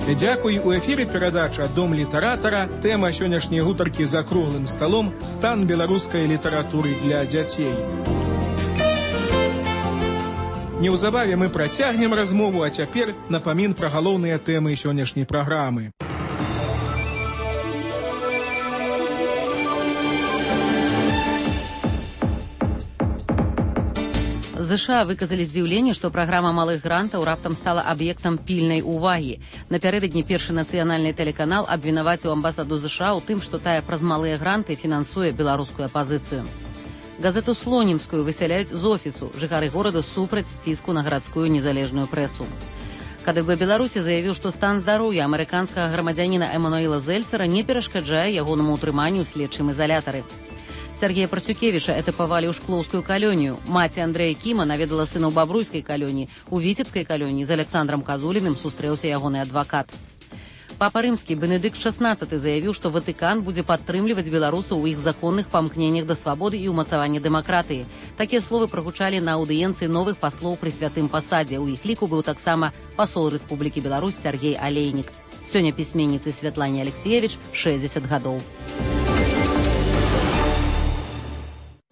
Дзякуй. У эфіры перадача «Дом літаратара». Тэма сённяшняй гутаркі за круглым сталом «Стан беларускай літаратуры для дзяцей». Неўзабаве мы працягнем размову, а цяпер напамін пра галоўныя тэмы сённяшняй праграмы. ЗША выказалі здзіўленне, што праграма малых грантаў раптам стала аб'ектам пільнай увагі. Напярэдадні першы нацыянальны тэлеканал абвінаваціў амбасаду ЗША ў тым, што тая праз малыя гранты фінансуе беларускую апазіцыю. Газету «Слонімскую» высяляюць з офісу. Жыхары горада супраць ціску на гарадскую незалежную прэсу. КДБ Беларусі заявіў, што стан здароўя амерыканскага грамадзяніна Эмануэла Зельцера не перашкаджае ягонаму ўтрыманню ў следчым изалятары. Сергея Парсюкевіча этапавалі ў шклоўскую калонію. Маці Андрэя Кіма наведала сына ў бабруйскай калоніі. У віцебскай калоніі з Александром Казуліным сустрэўся ягоны адвакат. Папа Рымскі Бенедыкт шаснаццаты заявіў, што Ватыкан будзе падтрымліваць беларусаў у іх законных памкненнях да свабоды і ўмацавання дэмакратыі. Такія словы прагучалі на аўдыенцыі новых паслоў пры святым пасадзе. У іх ліку быў таксама пасол Рэспублікі Беларусь Сергей Алейнік. Сёння пісьменніцы Святлане Алексеевич шэсцьдзесят гадоў.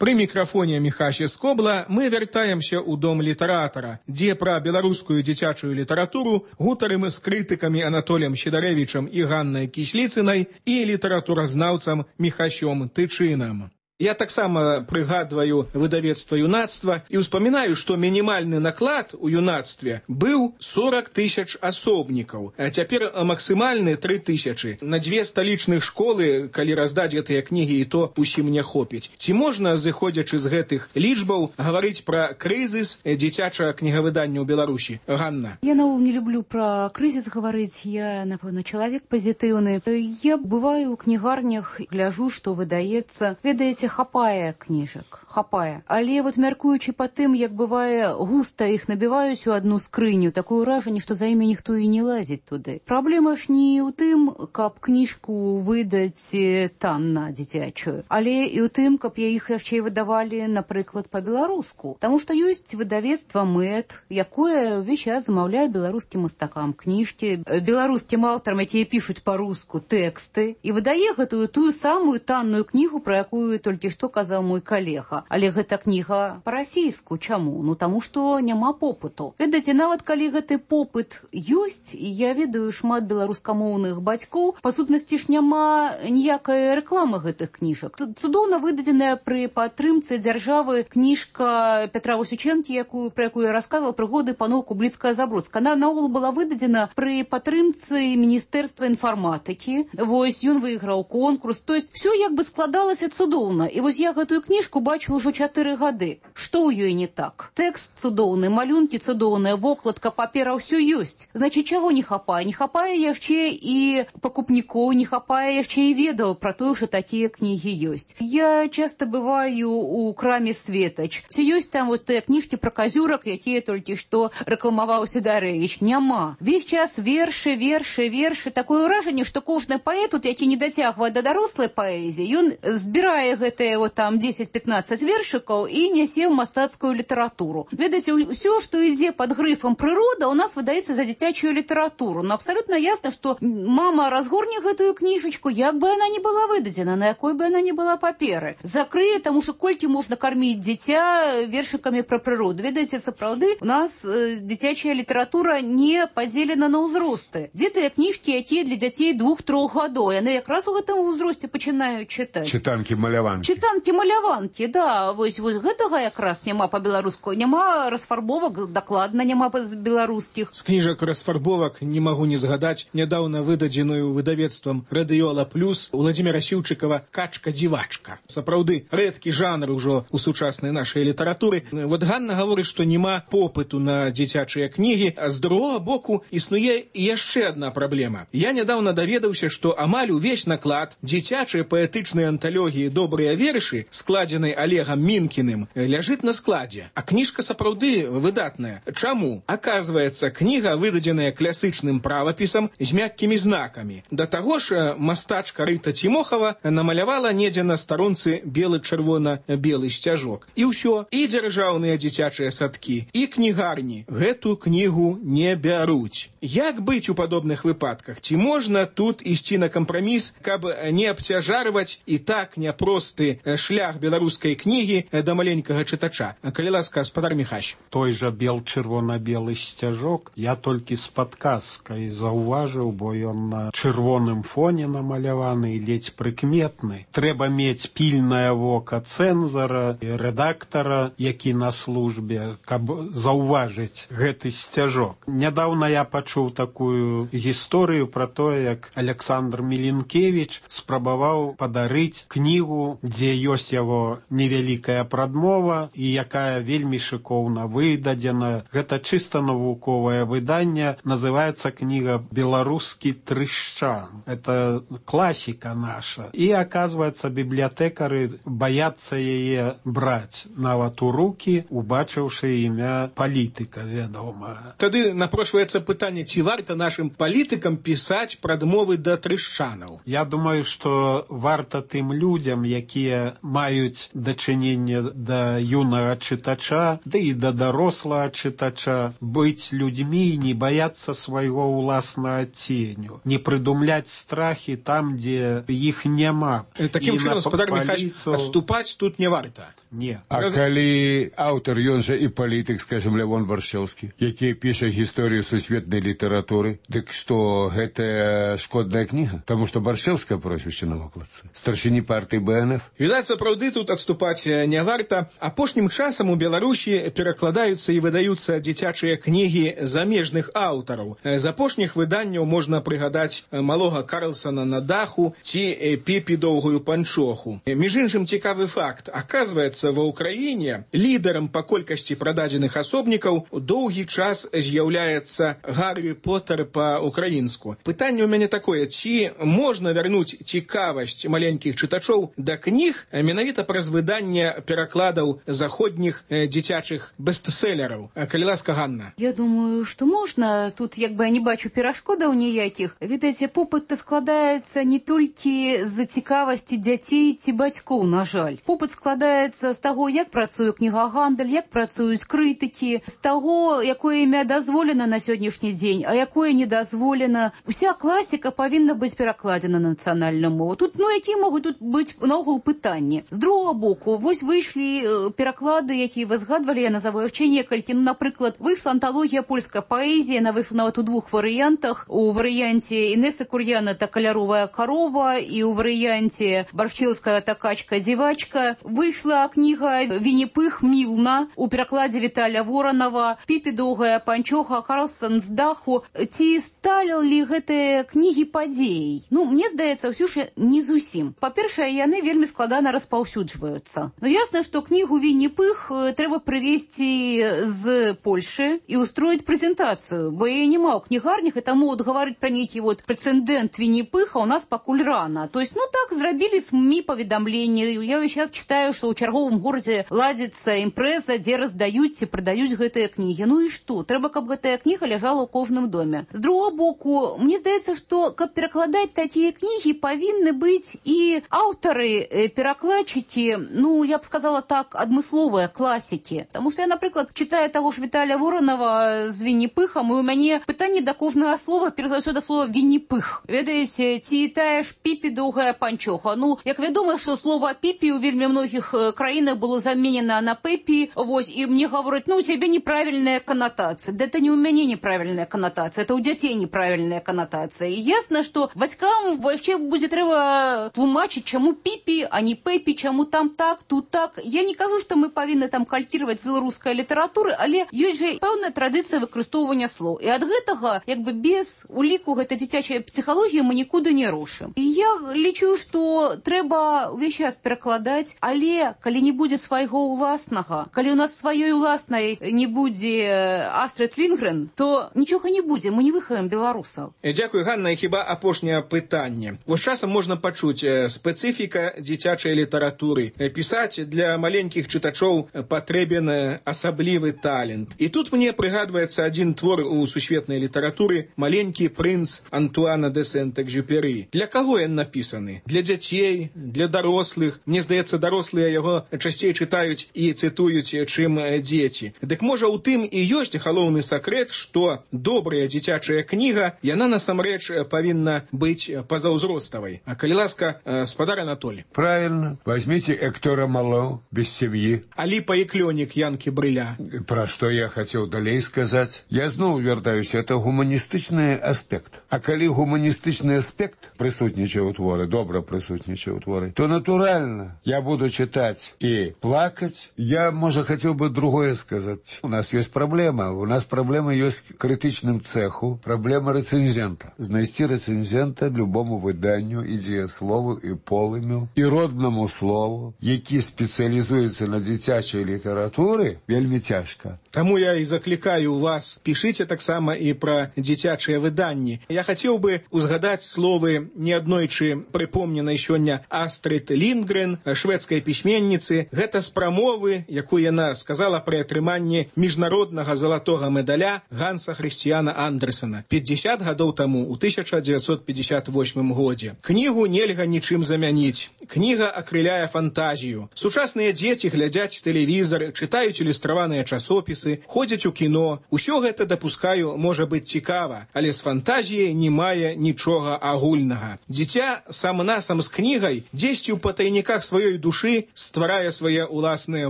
Пры мікрафоне Міхася Скобла мы вяртаемся ў дом літаратара, дзе пра беларускую дзіцячую літаратуру гутарым з крытыкамі Анатолем Сідарэвічам і Ганнай Кісліцынай і літаратуразнаўцам Міхасём Тычынам. Я таксама прыгадваю выдавецтва «Юнацтва» і ўспамінаю, што мінімальны наклад у «Юнацтве» быў сорок тысяч асобнікаў, а цяпер максімальны тры тысячы. На дзве сталічных школы, калі раздаць гэтыя кнігі, і то усім не хопіць. Ці можна, зыходзячы з гэтых лічбаў, гаварыць пра крызіс дзіцячага кнігавыдання ў Беларусі? Ганна. Я наогул не люблю пра крызіс гаварыць, я, напэўна, чалавек пазітыўны. Я бываю ў кнігарнях, гляжу, што выдаецца. Ведаеце, ведаеце, хапае кніжак, хапае. Але вот мяркуючы па тым, як бывае, густа іх набіваюць у одну скрыню, такое ўражанне, што за імі ніхто і не лазіць туды. Праблема ж не ў тым, каб кніжку выдаць танна дзіцячую, але і ў тым, каб я іх яшчэ і выдавалі, напрыклад, па-беларуску. Таму што ёсць выдавецтва мэт, якое ўвесь час замаўляе беларускім мастакам кніжкі, беларускім аўтарам, якія пішуць па-руску тэксты, і выдае гэтую тую самую танную кнігу, пра якую толькі што казаў мой калега. Але гэта кніга па-расійску. Чаму? Ну, таму што няма попыту. Ведаеце, нават калі гэты попыт ёсць, і я ведаю шмат беларускамоўных бацькоў, па сутнасці ж няма ніякай рэкламы гэтых кніжак. Цудоўна выдадзеная пры падтрымцы дзяржавы кніжка Петра Васючэнкі, якую, пра якую я расказвала, прыгоды паноў Кубліцкая-Забродская. Она наогул была выдадзена пры падтрымцы Міністэрства інфарматыкі. Вось ён выйграў конкурс. То есть все як бы складалася цудоўна. І вось я гэтую кніжку бачу ўжо чатыры гады. Што ў ёй не так? Тэкст цудоўны, малюнкі цудоўныя, вокладка, папера, ўсё ёсць. Значит, чаго не хапае? Не хапае яшчэ і пакупнікоў, не хапае яшчэ і ведаў пра тое, што такія кнігі ёсць. Я часта бываю у краме Светач. Ці ёсць там вот тыя кніжкі пра казюрак, якія толькі што рэкламаваў Сідарэвіч? Няма. Весь час вершы, вершы, вершы. Такое ўражанне, што кожны паэт, тут, які не дацягвае да дарослай паэзіі, ён збірае гэтыя вот там дзесяць-пятнаццаць вершыкаў і нясе ў мастацкую літаратуру. Ведаеце, ўсё, што ідзе пад грыфам прырода, у нас выдаецца за дзіцячую літаратуру. Но абсолютно ясно, што мама разгорне гэтую кніжачку, як бы она не была выдадзена, на якой бы она не была паперы. Закрые, таму што колькі можна карміць дзіця вершыкамі пра прыроду. Ведаеце, сапраўды, у нас э, дзіцячая літаратура не падзелена на ўзросты. Дзе тыя кніжкі, якія для дзяцей двух-трох гадоў, яны якраз у гэтым узросце пачынаюць чытаць. Чытанкі-маляванкі. Чытанкі-маляванкі, да. Вось, вось гэтага якраз няма па-беларуску. Няма расфарбовак, дакладна няма беларускіх. З кніжак расфарбовак не магу не згадаць нядаўна выдадзеную выдавецтвам Радыёла Плюс Владзіміра Сіўчыкава «Качка-дзівачка». Сапраўды, рэдкі жанр ужо у сучаснай нашай літаратуры. Вот Ганна гаворыць, што няма попыту на дзіцячыя кнігі, а з другога боку існуе яшчэ адна праблема. Я нядаўна даведаўся, што амаль увесь наклад дзіцячай паэтычнай анталогіі «Добрыя вершы», складзенай Олегам Мінкіным, ляжыць на складзе. А кніжка сапраўды выдатная. Чаму? Аказваецца, кніга выдадзеная класычным правапісам з мяккімі знакамі. Да таго ж мастачка Рыта Цімохава намалявала недзе на старонцы белы-чырвона-белы сцяжок. І ўсё, і дзяржаўныя дзіцячыя садкі, і кнігарні гэту кнігу не бяруць. Як быць у падобных выпадках? Ці можна тут ісці на кампраміс, каб не абцяжарваць і так няпросты шлях беларускай кнігі да маленькага чытача? Калі ласка, гаспадар Міхась. Той жа бел-чырвона-белы сцяжок я толькі з падказкай заўважыў, бо ён на чырвоным фоне намаляваны і ледзь прыкметны. Трэба мець пільнае вока цэнзара і рэдактара, які на службе, каб заўважыць гэты сцяжок. Нядаўна я пачуў такую гісторыю пра тое, як Александр Міленкевіч спрабаваў падарыць кнігу, дзе ёсць яго невялікая прадмова і якая вельмі шыкоўна выдадзена. Гэта чыста навуковае выданне, называецца кніга «Беларускі трышчан». Это класіка наша. І, аказваецца, бібліятэкары баяцца яе браць нават у рукі, убачыўшы імя палітыка, вядома. Тады напрошваецца пытанне, ці варта нашым палітыкам пісаць прадмовы да трышчанаў? Я думаю, што варта тым людзям, якія маюць дачыненне да юнага чытача, да і да дарослага чытача, быць людзьмі, не баяцца свайго ўласнага ценю, не прыдумляць страхі там, дзе іх няма. Такім чынам, гаспадар Міхась, адступаць тут не варта. Не. А Сказ... калі аўтар, ён жа і палітык, скажем, Лявон Баршчэўскі, які піша гісторыю сусветнай літаратуры, дык што гэта шкодная кніга? Таму што Баршчэўская прозвішча на вокладцы. Старшыні партыі Бэ Эн Эф. Відаць, сапраўды тут адступаць не варта. Апошнім часам у Беларусі перакладаюцца і выдаюцца дзіцячыя кнігі замежных аўтараў. З апошніх выданняў можна прыгадаць малога Карлсона на даху ці Піпі доўгую панчоху. Між іншым, цікавы факт. Аказваецца, ва ўкраіне лідарам па колькасці прададзеных асобнікаў доўгі час з'яўляецца Гаррі Поттер па-украінску. Пытанне ў мяне такое, ці можна вярнуць цікавасць маленькіх чытачоў да кніг кніг менавіта праз выданне перакладаў заходніх дзіцячых бестселераў. Калі ласка, Ганна. Я думаю, што можна. Тут як бы я не бачу перашкодаў ніякіх. Відаеце, попыт складаецца не толькі з-за цікавасці дзяцей ці бацькоў, на жаль. Попыт складаецца з таго, як працуе кнігагандаль, як працуюць крытыкі, з таго, якое імя дазволена на сённяшні дзень, а якое не дазволена. Уся класіка павінна быць перакладзена на нацыянальную мову. Тут, ну, якія могуць тут быць наогул пытанні. З другого боку, вось выйшлі пераклады, якія вы згадвалі, я назову яшчэ некалькі. Ну, напрыклад, выйшла анталогія польскай паэзіі, яна выйшла нават у двух варыянтах. У варыянце Інесы Кур'яна та каляровая карова і у варыянце Баршчеўская та качка-дзівачка. Выйшла кніга Вінні-Пых Мілна у перакладзе Віталя Воранова, Піпі доўгая панчоха, Карлсон з даху. Ці сталі гэтыя кнігі падзеяй? Ну, мне здаецца, ўсё ж не зусім. Па-першае, яны вельмі складана распаўсюджваюцца. Ну, ясна, што кнігу Вінні-Пых трэба прывезці з Польшы і устроіць прэзентацыю, бо яе няма ў кнігарнях, і таму вот гаварыць пра нейкі вот прэцэдэнт Вінні-Пыха у нас пакуль рана. То есть, ну так, зрабілі СМІ паведамленне. Я сейчас читаю, што ў чарговым горадзе ладзіцца імпрэза, дзе раздаюць ці прадаюць гэтыя кнігі. Ну і што? Трэба, каб гэтая кніга ляжала ў кожным доме. З другого боку, мне здаецца, што каб перакладаць такія кнігі, павінны быць і аўтары, перакладчыкі, ну, я б сказала так, адмысловыя класікі. Таму што я, напрыклад, читаю таго ж Віталя Воранова з Вінні-Пыхам, і у мяне пытанне да кожнага слова, перш за ўсё да слова Вінні-Пых. Ведаеце, ці тая ж Піпі доўгая панчоха. Ну, як вядома, што слова Піпі у вельмі многіх краінах было заменена на Пепі, вось, і мне гавораць, ну, у цябе неправільная канатацыя. Да это не у мяне неправільная канатацыя, это у дзяцей неправільная канатацыя. І ясна, што бацькам яшчэ будзе трэба тлумачыць, чаму Піпі, а не Пепі, чаму там так, тут так. Я не кажу, што мы павінны там калькіраваць з беларускай літаратуры, але ёсць жа пэўная традыцыя выкарыстоўвання слоў. І ад гэтага, як бы без уліку гэтай дзіцячай псіхалогіі мы нікуды не рушым. І я лічу, што трэба увесь час перакладаць, але калі не будзе свайго ўласнага, калі у нас сваёй уласнай не будзе Астрид Лінгрен, то нічога не будзе, мы не выхаваем беларусаў. Дзякуй, Ганна, і хіба апошняе пытанне. Вось часам можна пачуць спецыфіка дзіцячай літаратуры. Пісаць для маленькіх чытачоў патрэбен асаблівы талент. І тут мне прыгадваецца адзін твор у сусветнай літаратуры «Маленькі прынц» Антуана де Сент-Экзюпері. Для каго ён напісаны? Для дзяцей, для дарослых. Мне здаецца, дарослыя яго часцей чытаюць і цытуюць, чым дзеці. Дык можа у тым і ёсць галоўны сакрэт, што добрая дзіцячая кніга, яна насамрэч павінна быць пазаўзроставай. А калі ласка, спадар Анатолий. Правильно. Возьмите Эктора Мало «Без семьи». Алипа и Клёник Янки Брыля. Про что я хотел далей сказать. Я зноў вяртаюся, это гуманістычны аспект. А калі гуманістычны аспект прысутнічае ў творы, добра прысутнічае ў творы, то натуральна я буду читать и плакать. Я, можа, хотел бы другое сказать. У нас есть проблема. У нас проблема есть к критичным цеху. Проблема рецензента. Знайсці рецензента любому выданню, і дзеяслову, і полымю, і роднаму слову, які спецыялізуецца на дзіцячай літаратуры, вельмі цяжка. Таму я і заклікаю вас, пішыце таксама і пра дзіцячыя выданні. Я хацеў бы узгадаць словы неаднойчы прыпомненай сёння Астрид Лінгрен, шведскай пісьменніцы. Гэта з прамовы, якую яна сказала пры атрыманні міжнароднага залатога медаля Ганса Хрысціяна Андерсена пятьдесят гадоў таму, у тысяча девятьсот пятьдесят восьмым годзе. Кнігу нельга нічым замяніць. Кніга акрыляе фантазію. Сучасныя дзеці глядзяць тэлевізор, чытаюць ілюстраваныя часопісы, ходзяць у кіно. Усё гэта, дапускаю, можа быць цікава, але з фантазіяй не мае нічога агульнага. Дзіця сам-насам з кнігай дзесьці ў патайніках сваёй душы стварае свае ўласныя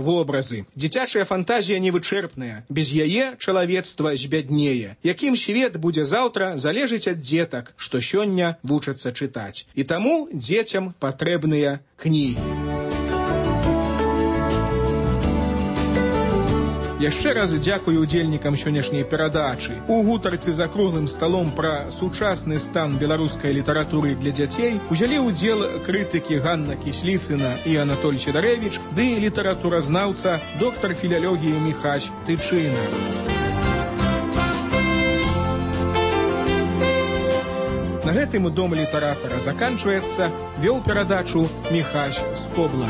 вобразы. Дзіцячая фантазія невычэрпная. Без яе чалавецтва збяднее. Якім свет будзе заўтра, залежыць ад дзетак, што сёння вучацца чытаць. І таму дзецям патрэбныя кнігі. Яшчэ раз дзякую удзельнікам сённяшняй перадачы. У гутарцы за круглым сталом пра сучасны стан беларускай літаратуры для дзяцей узялі ўдзел крытыкі Ганна Кісліцына і Анатоль Сідарэвіч ды літаратуразнаўца доктар філялогіі Міхась Тычына. На гэтым дом літаратара заканчваецца, вёў перадачу Міхась Скобла.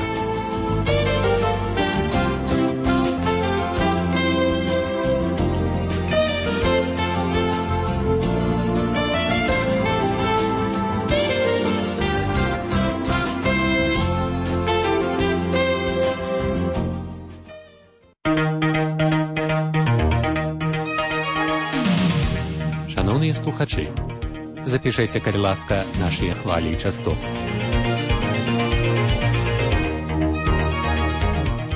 Шановні слухачі, запишите, калі ласка, наші хвалі і частот.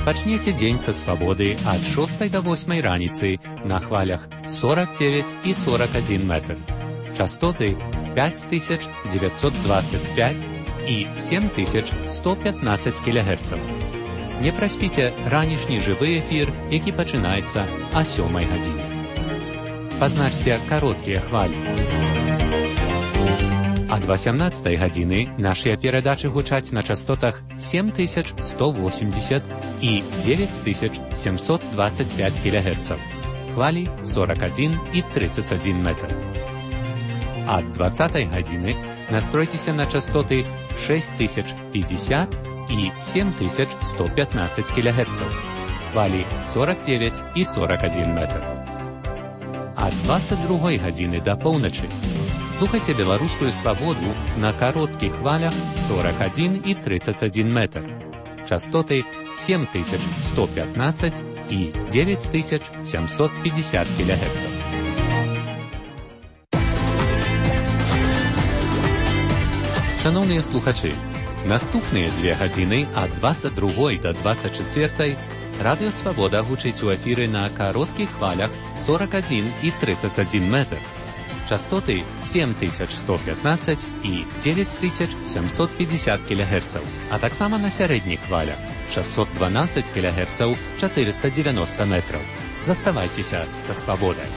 Пачнеце дзень са свабоды ад шостай да восьмай раніцы на хвалях сорок девять і сорок один метр. Частоты пять тысяч девятьсот двадцать пять і семь тысяч сто пятнадцать кілогерцаў. Не праспіце ранішні жывы эфір, які пачынаецца о сёмай гадзіне. Пазначце кароткія хвалі. Ад восемнадцатай гадзіны нашыя перадачы гучаць на частотах семь тысяч сто восемьдесят і девять тысяч семьсот двадцать пять кілогерцаў. Хвалі сорок один і тридцать один метр. Ад двадцатай гадзіны настройцеся на частоты шесть тысяч пятьдесят і семь тысяч сто пятнадцать кілогерцаў. Хвалі сорок девять і сорок один метр. Ад двадцать другой гадзіны да поўначы слухайце беларускую свабоду на кароткіх хвалях сорок один і тридцать один метр. Частоты семь тысяч сто пятнадцать і девять тысяч семьсот пятьдесят кілогерцаў. Шановныя слухачы, наступныя дзве гадзіны ад двадцать другой да двадцать чацвёртай Радыё Свабода гучыць у эфіры на кароткіх хвалях сорок один і тридцать один метр. Частоты семь тысяч сто пятнадцать і девять тысяч семьсот пятьдесят кілогерцаў, а таксама на сярэдніх хвалях шестьсот двенадцать кілогерцаў, четыреста девяносто метров. Заставайцеся са свабодай.